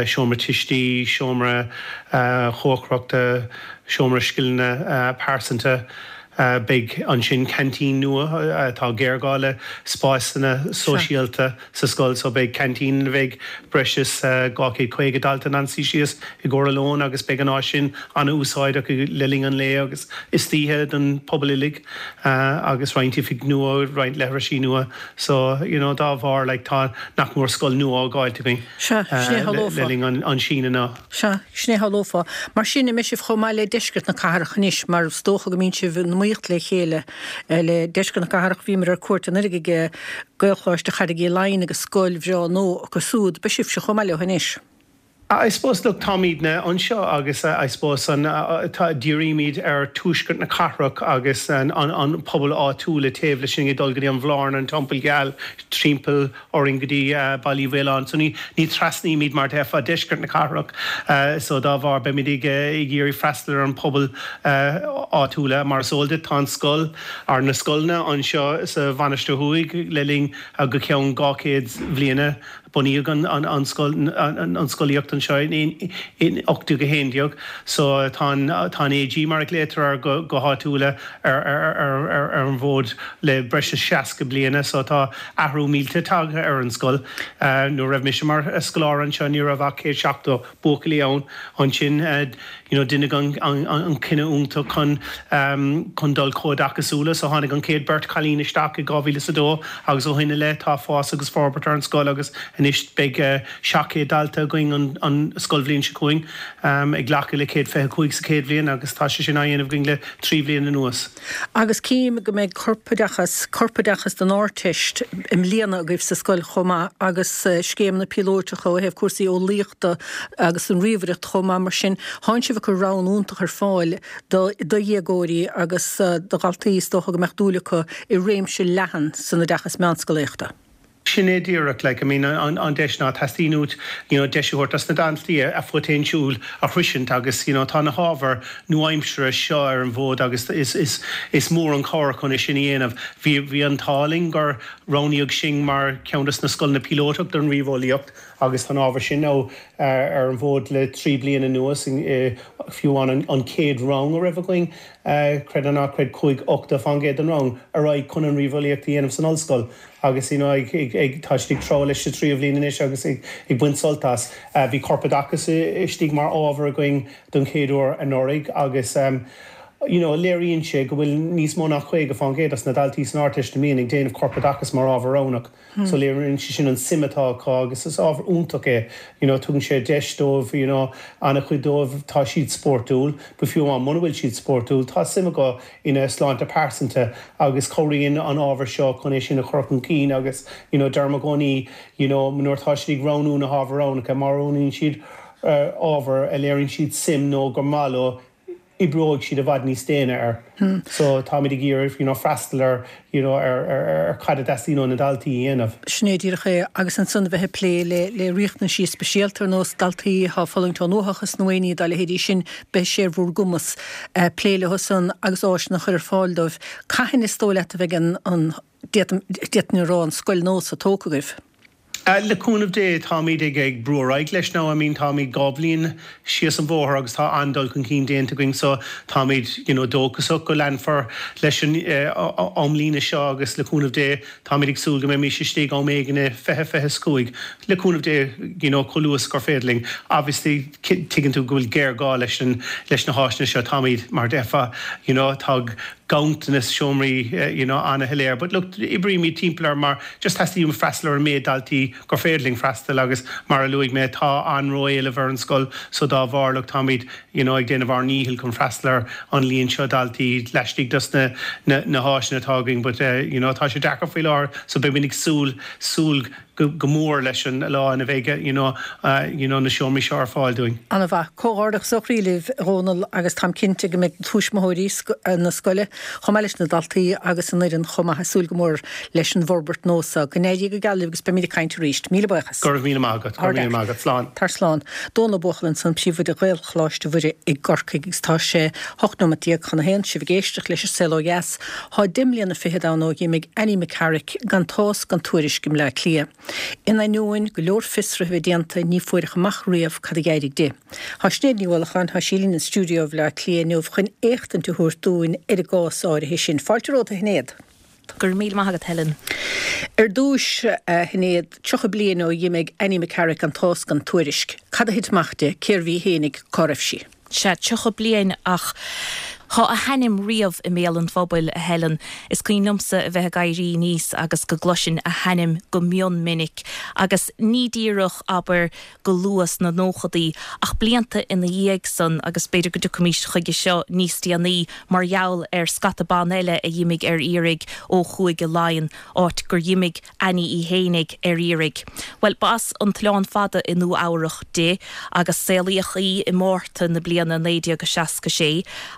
seomra tuistí, seomra chócaireachta, seomra scileanna pearsanta. Beidh ansin canteen nua atá géarghá le spásanna sóisialta sa scoil so beidh canteen a bheidh breis is dhá chéad caoga dalta in ann suí síos i gcomhair a lóin agus beidh an áis sin an-úsáideach le linn an lae agus istoíche don pobal uilig agus roinnt oifig nua, roinnt leithrisí nua so you know dá bharr like tá nach mór scoil nua á fháilt againn le linn an síneadh na. Sea, sin é shamhlófá. Mar sin, an mbeidh sibh chomh maith le deisceart na cathrach anois, mar is dócha go mbíonn sibh in iomaíocht le chéile le deisceart na cathrach. Bhíomar ar cuairt anuraidh ag Gaelcholáiste Charraig Uí Leighin agus scoil bhreá nua acu siúd. Beidh sibhse chomh maith leo anois. I suppose, look, táimidne anseo agus I suppose an tá dírímid ar tuaisceart na cathrach agus an an pobal áitiúil taobh leis sin ag dul go dtí an Bhlárna, an Teampall Geal, timpeall orainn go dtí Baile Uí Mhaoláin. So ní ní trasnaímid mar déarfá deisceart na cathrach so dá bharr beimid ag ag iarraidh freastal ar an pobal áitiúla. Mar is eol duit tá an scoil ar na scoileanna anseo sa Mhainistir Thuaidh le linn go ceann dhá chéad bhliana. Bunaíodh an scoil, an scolaíocht anseo in ocht déag a haon déag so tá an tá an AG mar a ghlaotar air go go háitiúla ar ar ar ar an bhfód le breis is seasca bliana so tá athrú mílte tagtha ar an scoil. Nuair a raibh mise mar scoláire anseo ní raibh ach céad seachtó buachaillí ann. Ansin you know deineadh an an an cinneadh iontach chun chun dul comhoideachasúla so tháinig an chéad beirt chailín isteach i dhá mhíle is a dó agus ó shin i leith tá fás agus forbairt ar an scoil agus anois beidh seacht gcéad dalta againn an an scoilbhliain seo chugainn ag glacadh le céad fiche cúig sa chéad bhliain agus tá sé sin á dhéanamh againn le trí bhliain anuas. Agus cím go mbeidh corpoideachas, corpoideachas don Ardteist i mbliana agaibh sa scoil chomh maith agus scéimeanna píolóiteacha ó thaobh cúrsaí eolaíochta agus an ríomhaireacht chomh maith mar sin thánn sibh ag cur roghanna iontach ar fáil do do dhéagóirí agus do dhaltaí is dócha go mbeadh dúil acu i réimse leathan san oideachas meánscolaíochta. Sin é díreach, like, I mean, an, an deis ná teastaíonn uait, you know, deis a thabhairt dos na daltaí a phoitéinsiúil a shroisint agus, you know, tá na hábhair nua-aimseartha seo ar an bhfód agus is, is, is mór an cabhair chun é sin a dhéanamh. Bhí, bhí an t-ádh linn gur roghnaíodh sinn mar ceann dos na scoileanna píolótach don ríomheolaíocht agus tá an ábhar sin now ar an bhfód le trí bliana anuas, fiú amháin an chéad rang a raibh againn, creid é nó ná creid, chuaigh ochtó faoin gcéad den rang ar aghaidh chun an ríomheolaíocht a dhéanamh san ollscoil agus you know ag ag tá siad ag treabhadh leis sa tríú bhliain anois agus ag ag baint sult as. Bhí corpoideachas istigh mar ábhar againn don chéad uair anuraidh agus you know léiríonn sé go bhfuil níos mó ná caoga faoin gcéad as na daltaí san Ardteist i mbliana ag déanamh corpoideachas mar ábhar roghnach. So léiríonn sé sin an suim atá acu agus is ábhar iontach é you know tugann sé deis dóibh you know an-chuid dóibh tá siad spórtúil but fiú amháin muna bhfuil siad spórtúil tá suim acu ina sláinte pearsanta agus cabhraíonn an ábhar seo chun é sin a chur chun cinn agus you know deirim i gcónaí you know nuair atá siad ag roghnú na hábhair roghnacha má roghnaíonn siad ábhar a léiríonn siad suim nó gur maith leo oibreoidh siad i bhfad níos déine air. So táimid ag iarraidh you know freastal ar you know ar ar ar cad a dteastaíonn ó na daltaí a dhéanamh. Sin é díreach é agus ansan a bheith ag plé le le riachtanaisí speisialta ar nós daltaí atá ag fulaingt ón uathachas nó aon ní dá leithéidí sin, beidh sé ar bhur gcumas plé leo san agus áiseanna a chur ar fáil dóibh. Cathain is dóigh leat a bheidh an an d'fhéadfainn a rá an scoil nua so tógtha agaibh? Le cúnamh Dé, táimid ag ag brú ar aghaidh leis now, I mean táimid dhá bhliain síos an bhóthar agus tá an-dul chun cinn déanta againn so táimid you know dóchasach go leanfar leis an amlíne seo agus le cúnamh Dé táimid ag súil go mbeimis istigh am éigin i fiche fiche is cúig le cúnamh Dé you know chomh luath is gur féidir linn. Obviously tuigeann tú go bhfuil géarghá leis an leis na háiseanna seo, táimid mar déarfá you know tá ganntanas seomraí uh, you know, an-shoiléir. But look, oibrímid timpeall air mar just teastaíonn freastal ar an méid daltaí gur féidir linn freastal agus mar a luaigh mé tá an-éileamh ar an scoil so dá bharr look táimid you know, ag déanamh ár ndícheall chun freastal ar an líon seo daltaí laistigh dos na, na, na háiseanna atá againn, but uh, you know, tá sé deacair faoi láthair so beimid ag súil súil go, go mór leis an lá ina bheidh you know, uh, you know, na seomraí seo ar fáil dúinn. An-mhaith comhghairdeas ó chroí libh Dhónal agus táim cinnte go mbeidh tuismitheoirí na scoile chomh maith leis na daltaí agus an fhoireann chomh maith ag súil go mór leis an bhforbairt nua seo. Go n-éirí go geal libh agus beimid ag caint arís. Míle buíochas. Go raibh míle maith agat, go raibh míle maith agat slán. Tar slán. Dónal Ó Buachalla ansan príomhoide Ghaelcholáiste Mhuire i gCorcaigh agus tá sé hocht nóiméad déag chun a haon sibh ag éisteacht leis an Saol Ó Dheas. Tá deich mbliana fichead ann ó d'imigh Annie McCarrick gan tásc gan tuairisc i mBleá Cliath. In ainneoin go leor fiosruithe a bheith déanta ní fuaireadh amach riamh cad a d'éirigh di. Tá Sinéad Ní Uallacháin tá sí linn in stiúideo Bhaile Átha Cliath inniu chun éachtaint a thabhairt dúinn ar an gcás áirithe sin. Fáilte romhat a Shinéad. Go raibh míle maith agat Helen. Ar dtús a Shinéad tríocha bliain ó d'imigh Annie McCarrick gan tásc gan tuairisc. Cad a thit amach di cérbh í fhéinig cá raibh sí. Sea tríocha bliain ach Tá a hainm riamh i mbéal an phobail a Helen is cuimhin liomsa a bheith ag éirí aníos agus go gcloisinn a hainm go mion minic agus ní díreach abair go luath sna nóchaidí ach blianta ina dhiaidh san agus b'fhéidir go dtiocfaimis chuige seo níos déanaí mar gheall ar scata ban eile a d'imigh ar iarraidh ó Chúige Laighean áit gur dh'imigh Annie í fhéinig ar iarraidh. Well b'as an tOileán Fada i Nua Eabhrac di agus saolaíodh í i Márta na bliana naoi déag a seasca sé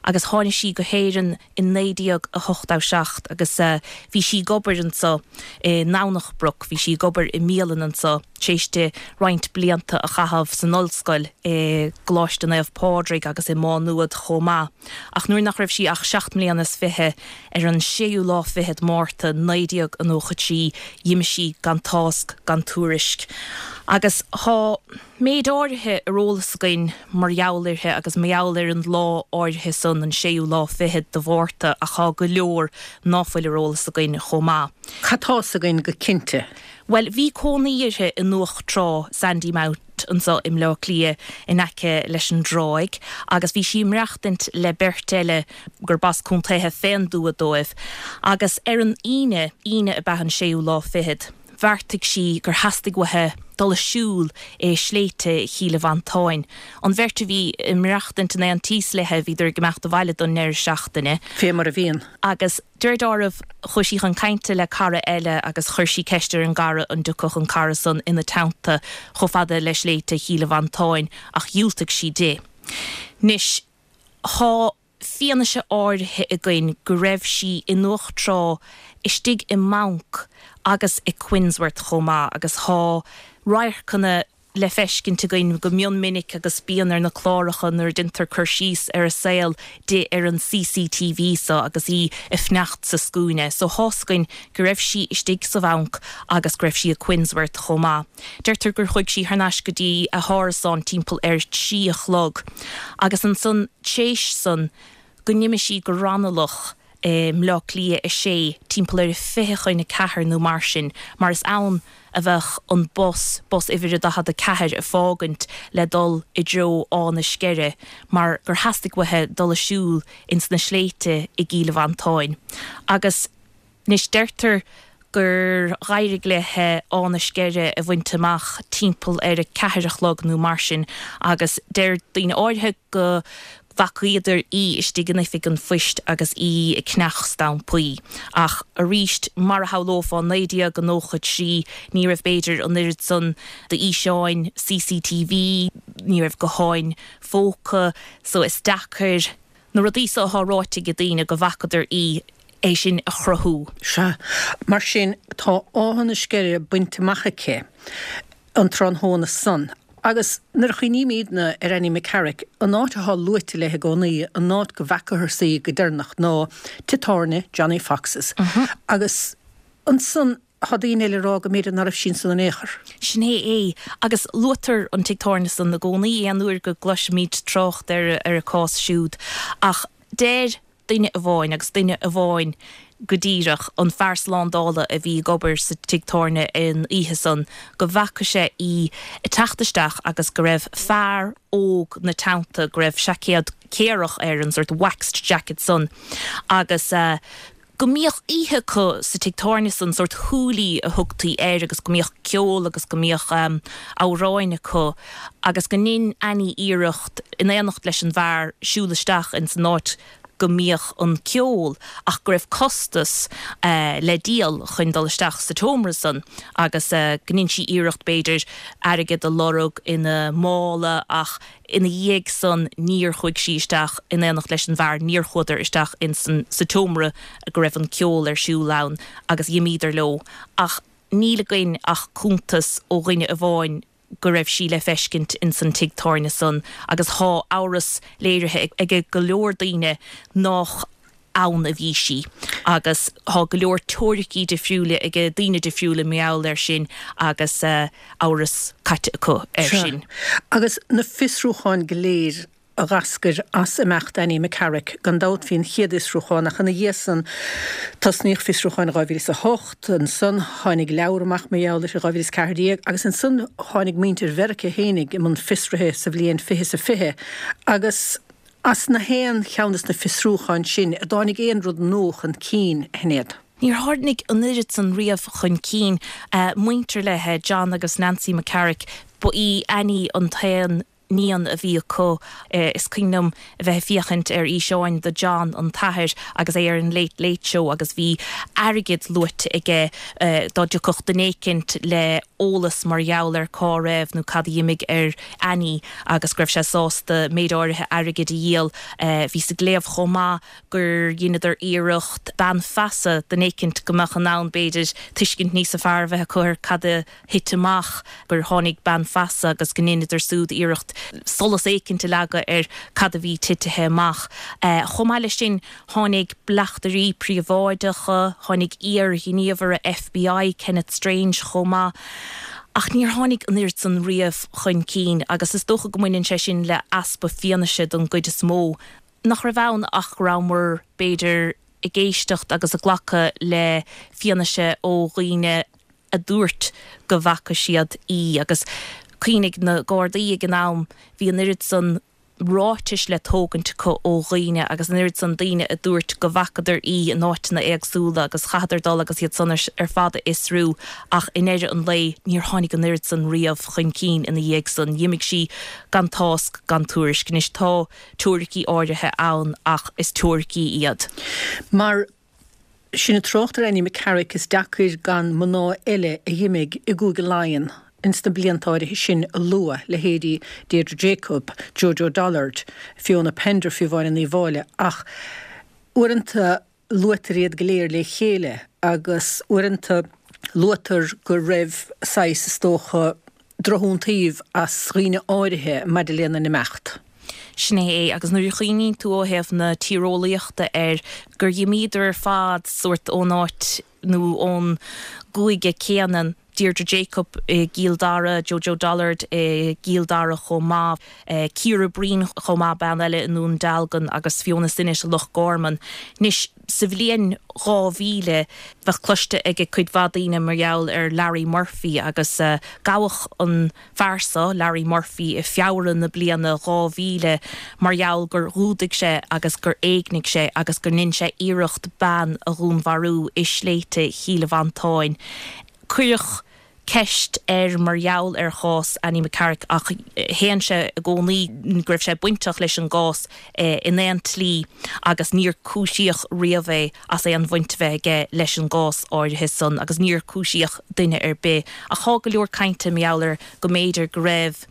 agus tháinig sí go hÉirinn in naoi déag a hochtó seacht agus uh, bhí sí ag obair anseo i nDomhnach Broc, bhí sí ag obair i mbialann anseo théis di roinnt blianta a chaitheamh san ollscoil i gColáiste Naomh Pádraig agus i Má Nuad chomh maith. Ach nuair nach raibh sí ach seacht mbliana is fiche ar an séú lá fichead Márta naoi déag a nócha trí d'imigh sí gan tásc gan tuairisc. Agus tá méid áirithe ar eolas againn mar gheall uirthi agus mar gheall ar an lá áirithe san an séú lá fichead de Mhárta ach tá go leor ná fuil ar eolas againn chomh maith. Cad tá fhios againn go cinnte. Well bhí cónaí uirthi i nDumhach Trá Sandymount anseo i mBleá Cliath in aice leis an dtráigh, agus bhí sí ag maireachtaint le beirt eile gur b'as contaetha fén dtuath dóibh, agus ar an Aoine Aoine ab ea an séú lá fichead. Bheartaigh sí gur theastaigh uaithi dul ag siúl i sléibhte Chill Mhantáin. An bheirt a bhí ag maireachtaint in aontíos léi bhíodar ag imeacht abhaile don ndeireadh seachtaine. Fé mar a bhíonn. Agus deir dealramh chuaigh sí chun cainte le cara eile agus chuir sí ceist ar an gcara an dtiocfadh an cara san ina teannta chomh fada le sléibhte Chill Mhantáin ach dhiúltaigh sí di. Anois tá fianaise áirithe againn go raibh sí i nDumhach Trá istigh i mbanc agus i Quinnsworth chomh maith agus tá radharcanna le feiscint againn go mion minic agus bíonn ar na cláracha nuair a déantar cur síos ar a saol di ar an CCTV so agus í ag fanacht sa scuaine, so tá fhios againn go raibh sí istigh sa bhanc agus go raibh sí i Quinnsworth chomh maith. Deirtear gur chuaigh sí thar n-ais go dtí a hárasán timpeall ar trí a chlog agus ansan théis san go n-imigh sí go Raghnallach i mBleá Cliath a sé timpeall ar fiche chun a ceathair nó mar sin, mar is ann a bheadh an bus, bus uimhir a daichead a ceathair ag fágaint le dul i dtreo Áth na Sceire, mar gur theastaigh uaithi dul ag siúl ins na sléibhte i gCill Mhantáin. Agus anois deirtear gur dh'éirigh léi Áth na Sceire a bhaint amach timpeall ar a ceathair a chlog nó mar sin agus deir daoine áirithe go bhfacaíodar í istigh in oifig an phoist agus í ag ceannach stampaí. Ach arís mar a shamhlófá naoi déag nócha trí ní raibh b'fhéidir an oiread san d'fhíseáin CCTV, ní raibh gutháin phóca, so is deacair na rudaí so atá ráite ag daoine go bhfacadar í é sin a chruthú. Sea, mar sin tá Áth na Sceire bainte amach aici an tráthnóna san. Agus nuair a chuimhnímidne ar Annie McCarrick, an áit atá luaite léi i gcónaí, an áit go bhfacathas í go deireanach ná tigh tábhairne Johnny Fox's. Agus ansan tá daoine eile ag rá go mb'fhéidir nach raibh sí ansan in aon chor. Sin é é agus luaitear an tigh tábhairne san i gcónaí aon uair go gcloisimid trácht ar ar a cás siúd ach deir duine amháin agus duine amháin go díreach an fear slándála a bhí ag obair sa tigh tábhairne an oíche san go bhfaca sé í ag teacht isteach agus go raibh fear óg ina teannta go raibh seaicéad céarach air an sort waxed jacket san agus uh, go mbíodh oíche acu sa tigh tábhairne san sort hoolie a thugtaí air agus go mbíodh ceol agus go mbíodh um, amhráin acu agus go ndein Annie iarracht in éineacht leis an bhfear siúl isteach in san áit go mbíodh an ceol ach go raibh costas uh, le díol chun dul isteach sa tseomra san agus uh, go ndein sí iarracht b'fhéidir airgead a lorg ina mála ach ina dhiaidh san níor chuaigh sí isteach in éineacht leis an bhfear níor chuadar isteach in san sa tseomra go raibh an ceol ar siúl ann agus d'imíodar leo ach níl againn ach cuntas ó dhuine amháin go raibh sí le feiscint in san tigh tábhairne san agus tá amhras léirithe ag go leor daoine nach ann a bhí sí agus tá go leor teoiricí difriúla ag daoine difriúla mar gheall air sin agus uh, amhras caite acu ar sin. Agus na fiosrúcháin go léir a d'eascair as imeacht Annie McCarrick gan dabht bhí an chéad fhiosrúchán ach ina dhiaidh san tosnaíodh fiosrúchán dhá mhíle is a hocht, ansan tháinig leabhar amach mar gheall air i dhá mhíle is ceathair déag agus ansan tháinig muintir Mheiriceá fhéinig i mbun fiosraithe sa bhliain fiche is a fiche agus as na haon cheann des na fiosrúcháin sin an dtáinig aon rud nua chun cinn, a Shinéad. Níor tháinig an oiread san riamh chun cinn uh, muintir léi John agus Nancy McCarrick ba í Annie an t-aon níon a bhí acu is cuimhin liom a bheith ag féachaint ar fhíseáin de John an t-athair agus é ar an Late Late Show agus bhí airgead luaite aige dá dtiocfadh duine éicint le eolas mar gheall ar cá raibh nó cad a d'imigh ar Annie agus go raibh sé sásta méid áirithe airgid a dhíol. Bhí sa léamh chomh maith gur dheineadar iarracht bean feasa duine éicint go mbeadh in ann b'fhéidir tuiscint níos fearr a bheith acu ar cad a thit amach gur tháinig bean feasa agus go ndeineadar súd iarracht solas éicint a leagadh ar cad a bhí titithe amach. Chomh maith leis sin tháinig bleachtairí príobháideacha, tháinig iar-ghníomhaire FBI Kenneth Strange chomh maith. Ach níor tháinig an oiread san riamh chun cinn agus is dócha go mbaineann sé sin le easpa fianaise don gcuid is mó. Nach raibh ann ach go rabhamar b'fhéidir ag éisteacht agus ag glacadh le fianaise ó dhaoine a dúirt go bhfaca siad í agus cuimhnigh na Gardaí ag an am bhí an oiread san ráitis le tógaint acu ó dhaoine agus an oiread san daoine a dúirt go bhfacadar í in áiteanna éagsúla agus chaitheadar dul agus iad san ar fad a fhiosrú ach i ndeireadh an lae níor tháinig an oiread san riamh chun cinn ina dhiaidh san. D'imigh sí gan tásc gan tuairisc. Anois tá teoiricí áirithe ann ach is teoiricí iad. Mar sinn ag trácht ar Annie McCarrick is deacair gan mná eile a d'imigh i gCúige Laighean ins na blianta áirithe sin a lua, leithéidí Deirdre Jacob, Jojo Dollard, Fiona Pender fiú amháin in Uíbh Fhailí, ach uaireanta luaitear iad go léir le chéile agus uaireanta luaitear go raibh saghas, is dócha, drochiontaoibh as dhaoine áirithe maidir lena n-imeacht. Sin é é, agus nuair a chuimhníonn tú ó thaobh na tíreolaíochta air, gur dh'imíodar ar fad sórt ón áit nó ón gcúige céanna, Deirdre Jacob i gCill Dara, Jojo Dollard i gCill Dara chomh maith, Ciara Breen chomh maith, bean eile i nDún Dealgan agus Fiona Sinnott i Loch Garman. Anois, sa bhliain dhá mhíle, bheadh cloiste ag cuid mhaith daoine mar gheall ar Larry Murphy agus gabhadh an fear seo, Larry Murphy, i Feabhra na bliana dhá mhíle mar gheall gur dhúdaigh sé agus gur éignigh sé agus gur ndein sé iarracht bean a dhúnmharú i sléibhte Chill Mhantáin. Cuireadh ceist air mar gheall ar chás Annie McCarrick ach shéan sé i gcónaí go raibh sé bainteach leis an gcás in aon tslí agus níor cúisíodh riamh é as aon bhaint a bheith aige leis an gcás áirithe san agus níor cúisíodh duine ar bith. Ach thá go leor cainte mar gheall air go mb'fhéidir go raibh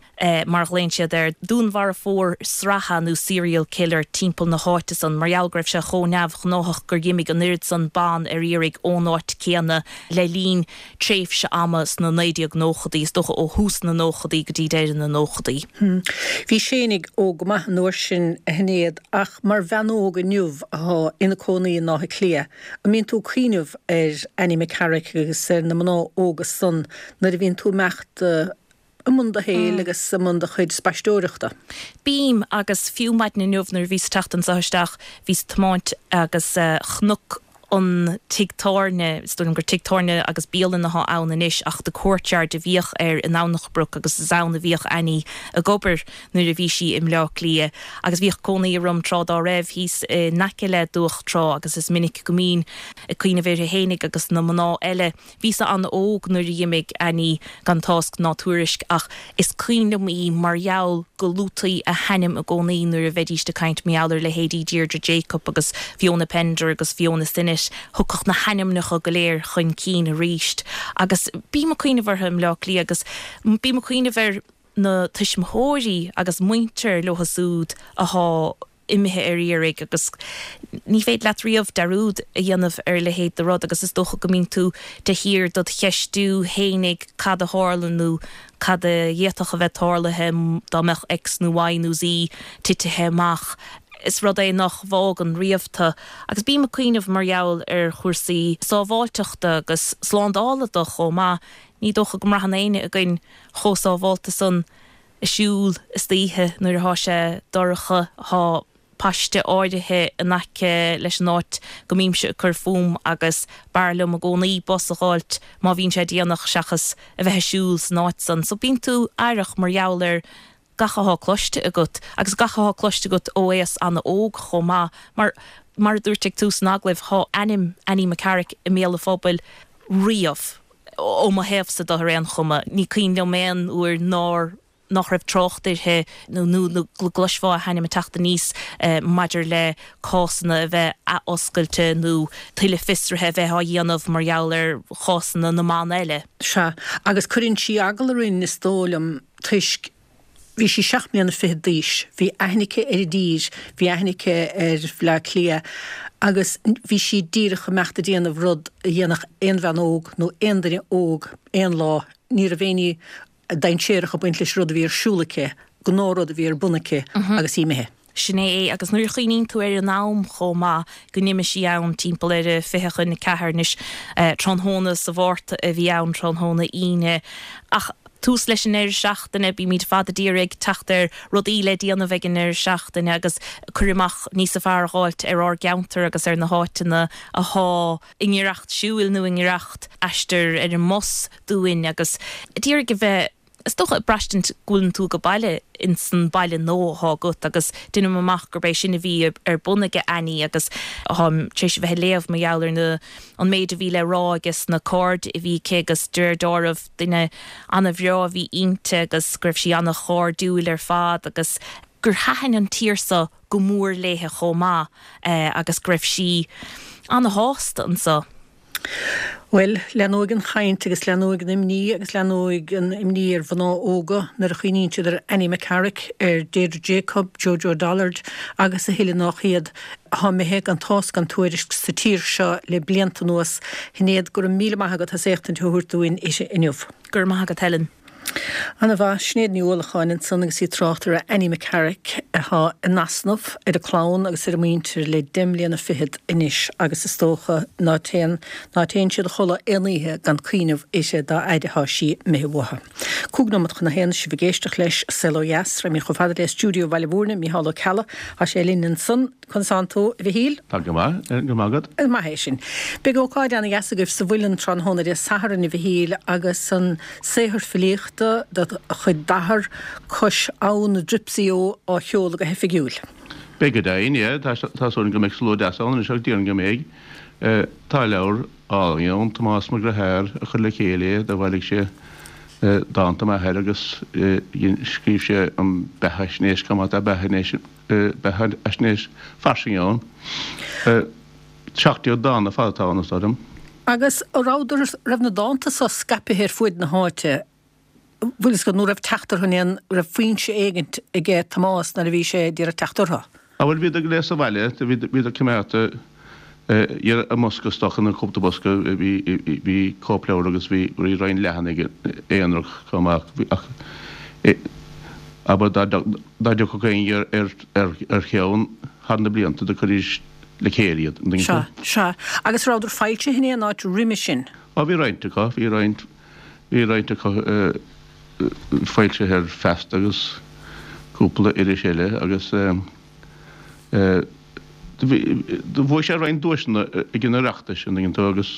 mar a ghlaonn siad air, dúnmharfóir sraithe nó serial killer timpeall na háite san, mar gheall go raibh sé chomh neamhghnáthach gur dh'imigh an oiread san ban ar iarraidh ón áit céanna le linn tréimhse ama sna naoi déag nóchadaí, is dócha ó thús na nóchadaí go dtí deireadh na nóchadaí. Bhí Séinig óg go maith an uair sin, a Shinéad, ach mar bhean óg inniu atá ina cónaí in Áth Cliath, an mbíonn tú ag cuimhneamh ar Annie McCarrick agus ar na mná óga san nuair a bhíonn tú ag imeacht i mbun do shaoil agus i mbun do chuid spaisteoireachta. Bím, agus fiú maidin inniu nuair a bhíos ag teacht anseo isteach, bhíos ag tiomáint agus chonac an tigh tábhairne, is dóigh liom gur tigh tábhairne agus bialann atá ann anois ach The Courtyard a bhíodh air i nDomhnach Broc agus is ann a bhíodh Annie ag obair nuair a bhí sí i mBleá Cliath agus bhíodh cónaí orm tráth dá raibh thíos in aice le Dumhach Trá agus is minic go mbínn ag cuimhneamh uirthi fhéinig agus na mná eile. Bhíos-sa an-óg nuair a dh'imigh Annie gan tásc ná tuairisc ach is cuimhin liom í mar gheall go luaití a hainm i gcónaí nuair a bheidíst ag caint mar gheall ar leithéidí Deirdre Jacob agus Fiona Pender agus Fiona Sinnott, thiocfadh na hainmneacha go léir chun cinn aríst. Agus bím ag cuimhneamh orthu i mBleá Cliath agus bím ag cuimhneamh ar na tuismitheoirí agus muintir leo súd athá imithe ar iarraidh agus ní féidir leat riamh dearúd a dhéanamh ar a leithéid de rud agus is dócha go mbíonn tú de shíor dod cheistiú fhéinig cad a tharla nó cad a d'fhéadfadh a bheith tarlaithe dá mbeadh X nó Y nó Z titithe amach. Is rud é nach bhfágann riamh tú agus bím ag cuimhneamh mar gheall ar chúrsaí sábháilteachta agus slándála de chomh maith. Ní dócha go mbraitheann éinne againn chomh sábháilte san ag siúl istoíche nuair athá sé dorcha. Thá paiste áirithe in aice leis an áit go mbímse ag cur fúm agus b'fhearr liom i gcónaí bus a dh'fháilt má bhíonn sé déanach seachas a bheith ag siúl san áit san. So bíonn tú aireach mar gheall ar gach athá cloiste agat agus gach athá cloiste agat ó aos an-óg chomh maith mar, mar a dúirt ag tús an agallaimh, thá ainm Annie McCarrick i mbéal an phobail riamh, ó mo thaobhsa de ar aon chuma. Ní cuimhin liom aon uair nár nach raibh trácht uirthi nó nó go gcloisfeá a hainm ag teacht aníos maidir le cásanna a bheith athoscailte nó tuilleadh fiosraithe a bheith á dhéanamh mar gheall ar chásanna na mban eile. Sea, agus cuireann sí eagal orainn, is dóigh liom, toisc bhí sí seacht mbliana fichead d'aois, bhí aithne aici ar an dtír, bhí aithne aici ar Bhleá Cliath agus bhí sí díreach ag imeacht ag déanamh rud a dhéanfadh aon bhean óg nó aon duine óg aon lá, ní raibh aon ní dainséarach ag baint leis an rud a bhí ar siúl aici, gnáthrud a bhí ar bun aici agus í imithe. Sin é é, agus nuair a chuimhníonn tú ar an am chomh maith go n-imigh sí ann timpeall ar a fiche chun a ceathair anois, tráthnóna sa Mhárta a bhí ann, tráthnóna Aoine, ach tús leis an ndeireadh seachtaine, bímid ar fad ag iarraidh teacht ar rudaí le déanamh ag an ndeireadh seachtaine agus cur amach níosa fearr a dh'fháilt ar ár gceantar agus ar na háiteanna athá i ngiorracht siúil nó i ngiorracht aistir ar an mbus dúinn agus d'iarraidh a bheith, is dócha, ag braistint go bhfuileann tú age baile ins an baile nua athá agat agus deinim amach gurb é sin a bhí ar bun aige Annie agus táim tar éis a bheith ag léamh mar gheall ar na, an méid a bhí le rá ages na cairde a bhí aici agus de réir dealraimh duine ana-bhreá a bhí inti agus go raibh sí ana-chairdiúil ar fad agus gur thaitin an tír so go mór léithe chomh maith agus go raibh sí ana-shásta anso. Bhuel, leathnóidh an chaint agus leathnóidh an imní agus leathnóidh an imní ar mhná óga nuair a chuimhníonn siad ar Annie McCarrick, ar Deirdre Jacob, Jojo Dollard agus a thuilleadh nách iad atá imithe gan tásc gan tuairisc sa tír seo le blianta anuas. Shinéad, go raibh míle maith agat as éachtaint a thabhairt dúinn uirthi inniu. Go raibh maith agat, Helen. Ana-mhaith. Sinéad Ní Uallacháin ansan agus í ag trácht ar Annie McCarrick atá in easnamh ar a clann agus ar a muintir le deich mbliana fichead anois agus is dócha ná téann ná téann siad a chodladh aon oíche gan cuimhneamh uirthi dá fhaid atá sí imithe uathu. Cúig nóimeat chun a haon, sibh ag éisteacht leis Saol Ó Dheas. Raghaimid chomh fada le stiúideo Bhaile Mhúirne, Micheál Ó Ceallaigh. Tá sé linn ansan. Conas tánn tú, a Mhichíl? Tá go maith, go raibh maith agat. Is maith é sin. Beidh ócáid ana-dheas agaibh sa Mhuileann tráthnóna Dé Sathairn, a Mhichíl, agus an saothar filíochta de chuid d'athar, Cois Abhann na Dripsey-O, á sheoladh go hoifigiúil. Beidh go deimhin, yeah. Tá súil agam go mbeidh slua deas ann anois agus déarfainn go mbeidh. Tá leabhar álainn ann, Tomás Mac Deartháir a chuir le chéile é, do bhailigh sé dánta m'athar agus scríobh sé an beathaisnéis chomh maith, tá beathaisnéis beathaisnéis fairsing ann. Seacht déag dán ar fad atá ann, is dóigh liom. Agus a rabhadar, raibh na dánta so scaipthe ar fuaid na háite, bhfuil fhios agat, nó raibh teacht orthu in aon, raibh foinse éigint aige Tomás nuair a bhí sé ag iarraidh teacht orthu? Á bhuel, bhíodar go léir sa bhaile, bhíodar coimeádta i mbosca is dócha, nó cúpla bosca, bhí cóipleabhar agus bhí roinnt leathanaigh aonarach chomh maith ach abair dá dtiocfadh éinne ar cheann thar na blianta do chuiridís le chéile iad, an dtuigeann Sea, tú? sea. Agus rabhadar foilsithe in aon áit roimhe sin? Á bhí roinnt acu, bhí roinnt, bhí roinnt acu foilsithe ar Feasta agus cúpla iris eile agus do bhuaigh sé roinnt duaiseanna ag an Oireachtas an dtuigeann tú agus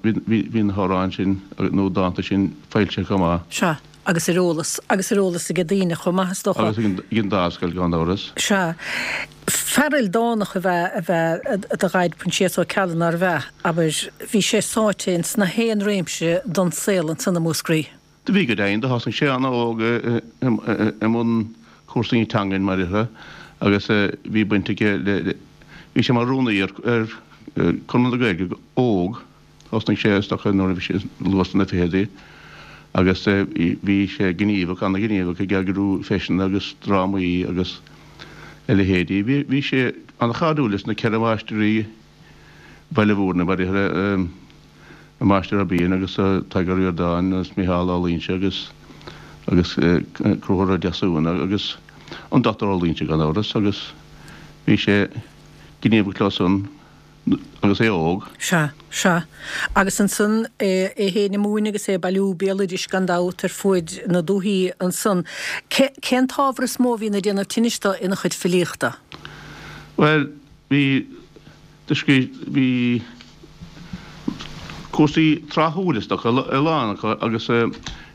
bhí na hamhráin sin nó dánta sin foilsithe chomh maith. Sea, agus ar eolas, agus ar eolas ag daoine chomh maith is dócha. Agus ag an Dámhscoil gan amhras. Sea. Fear ildánach ab ea ab ea do dhaid Proinsias Ó Ceallaigh nárbh ea? Abair, bhí sé sáite ins na haon réimse don saol ansan i Múscraí. Do bhí go deimhin, do thosnaigh sé ana-óg i mbun cúrsaí teangan mar déarfá agus bhí baint aige le, bhí sé mar rúnaí ar Conradh na Gaeilge go h-óg, thosnaigh sé is dócha nuair a bhí sé luath sna fichidí agus bhí sé gníomhach, ana-ghníomhach ag eagrú feiseanna agus drámaí agus a leithéidí. Bhí sé ana-chairdiúil leis na ceithre mháistrí Bhaile Mhúirne, mar déarfá, an Máistir Ó Briain agus Tadhg Ó Ríordáin agus Micheál Ó Loingsigh agus agus Conchúr Ó Deasúna agus an Dochtúir Ó Loingsigh gan amhras agus bhí sé gníomhach leo san agus é óg. Sea, sea. Agus ansan é féin ag múineadh agus é ag bailiú béaloidis gan dabht ar fuaid na dúthaí ansan. Cén t-ábhar is mó a bhíonn ag déanamh tinnis dó ina chuid filíochta? Bhuel, bhí, do scríobh, bhí cúrsaí tráthúil is dócha, a lán acu agus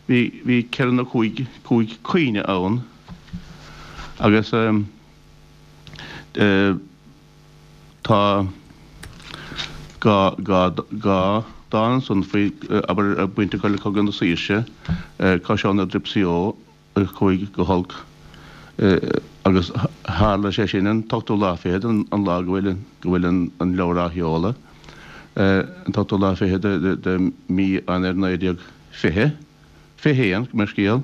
bhí, bhí ceithre nó cúig, cúig caoineadh ann agus tá dhá, dhá, dhá dán ansan faoi, abair, baint acu le Cogadh na Saoirse, Cois Abhann na Dripsey Ó, a chuaigh go holc agus tharla sé sin an t-ochtú lá fichead, an lá go bhfuil go bhfuil an leabhar á sheoladh, an t-ochtú lá fichead de mhí Eanáir naoi déag fiche, fiche haon, mo scéal,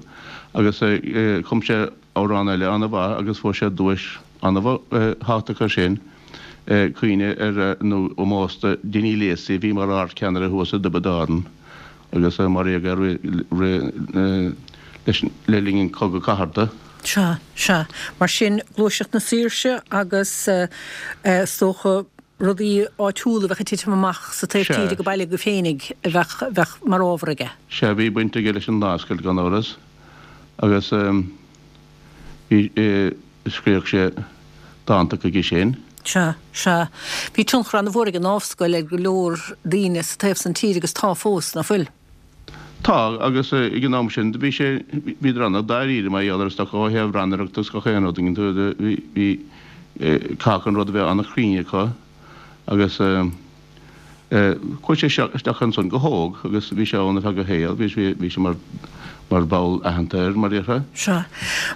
agus chum sé amhrán eile an-mhaith agus fuair sé duais an-thábhachtach air sin, caoineadh ar nó ómós do Dinny Lacey a bhí mar ardcheannaire thuas i dTiobraid Árann. agus maraíodh é le linn an Chogadh Cathartha. Sea, sea. Mar sin, Gluaiseacht na Saoirse agus is dócha rudaí áitiúla a bheadh ag titim amach sa taobh tíre go baile agaibh féinig a bheadh mar ábhar aige. Sea, bhí baint aige leis an Dámhscoil gan amhras agus bhí, scríobhadh sé dánta chuige sin. Sea, sea. Bhí tionchar an-mhór ag an nDámhscoil ar go leor daoine sa taobh san tíre agus tá fós, ná fuil? Tá, agus ag an am sin bhí sé, bhíodar an-dáiríre mar gheall ar is dócha ó thaobh rannaireachta agus gach aon rud, bhí, bhí, caithfidh an rud a bheith an-chruinn acu agus. Chuaigh sé isteach ansan go hóg agus bhí sé ann ar feadh a shaoil, bhí sé mar mar bhall aitheanta air, mar déarfá. Sea.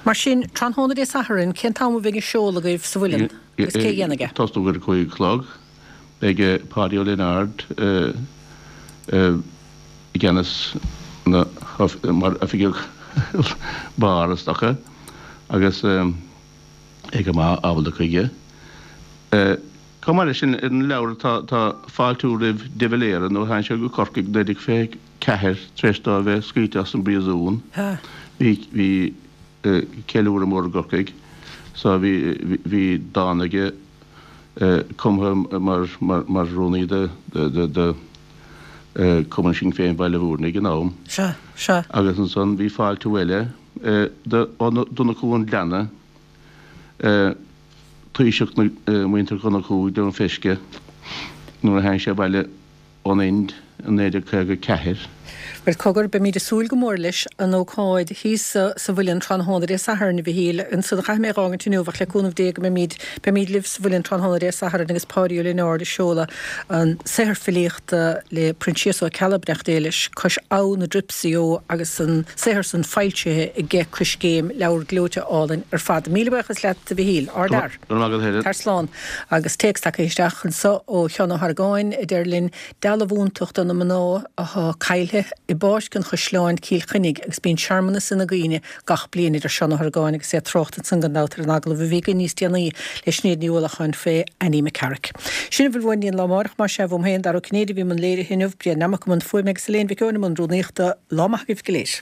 Mar sin, tráthnóna Dé Sathairn, cén t-am a bheidh an seoladh agaibh sa Mhuileann agus cé a dhéanfaidh é? Tosnú ar a cúig a chlog. Beidh Páidí Ó Lionáird i gceannas na mar oifigeach beáir is dócha agus é go maith ábalta chuige. Chomh maith leis sin, ar an leabhar tá tá fáiltiú roimh de Valera nuair a tháinig sé go Corcaigh naoi déag fiche ceathair tar éis dó a bheith scaoilte as an bpríosún. Bhí bhí ceiliúradh mór i gCorcaigh so bhí bhí dán aige cumtha mar mar mar rúnaí de de de Cumann Sinn Féin Bhaile Mhúirne ag an am. Sea, sea. Agus ansan bhí fáiltiú eile do ó Donnchú an Ghleanna. Taoiseach muintir Dhonnchú i gCluain Feisce nuair a tháinig sé abhaile ón Ind i naoi déag caoga a ceathair. Bhuel, cogar, beimid ag súil go mór leis an ócáid thíos sa Mhuileann tráthnóna Dé Sathairn, a Mhichíl. Ansan a chaithfidh mé a dh'fhágaint inniu, ach le cúnamh Dé go mbeimid, beimid libh sa Mhuileann tráthnóna Dé Sathairn agus Páidí Ó Lionáird ag seoladh an saothar filíochta le Proinsias Ó Ceallaigh, beannacht Dé leis, Cois Abhann na Dripsey Ó agus an saothar san foilsithe aige Coiscéim, leabhar gleoite álainn ar fad. Míle buíochas leat, a Mhichíl. Ardfhear. Go raibh maith agat, Helen. Tar slán. Agus téacs tagtha isteach anso ó Sheán Ó hArgáin a deir linn, Dealbhúntacht do na mná athá caillthe i bPáirc an Chaisleáin, Cill Chainnigh agus bíonn searmanas ina gcuimhne gach bliain, a deir Seán Ó hArgáin agus é ag trácht ansan gan dabht ar an agallamh a bhí againn níos déanaí le Sinéad Ní Uallacháin fé Annie McCarrick. Sin a bhfuil uainn don lá amárach, más ea, uaim féin, Dara Ó Cinnéide a bhí i mbun léirithe inniu, Brian Nammock i mbun fuaime agus Elaine Mhic Eoin i mbun rúnaíochta. Lá maith agaibh go léir.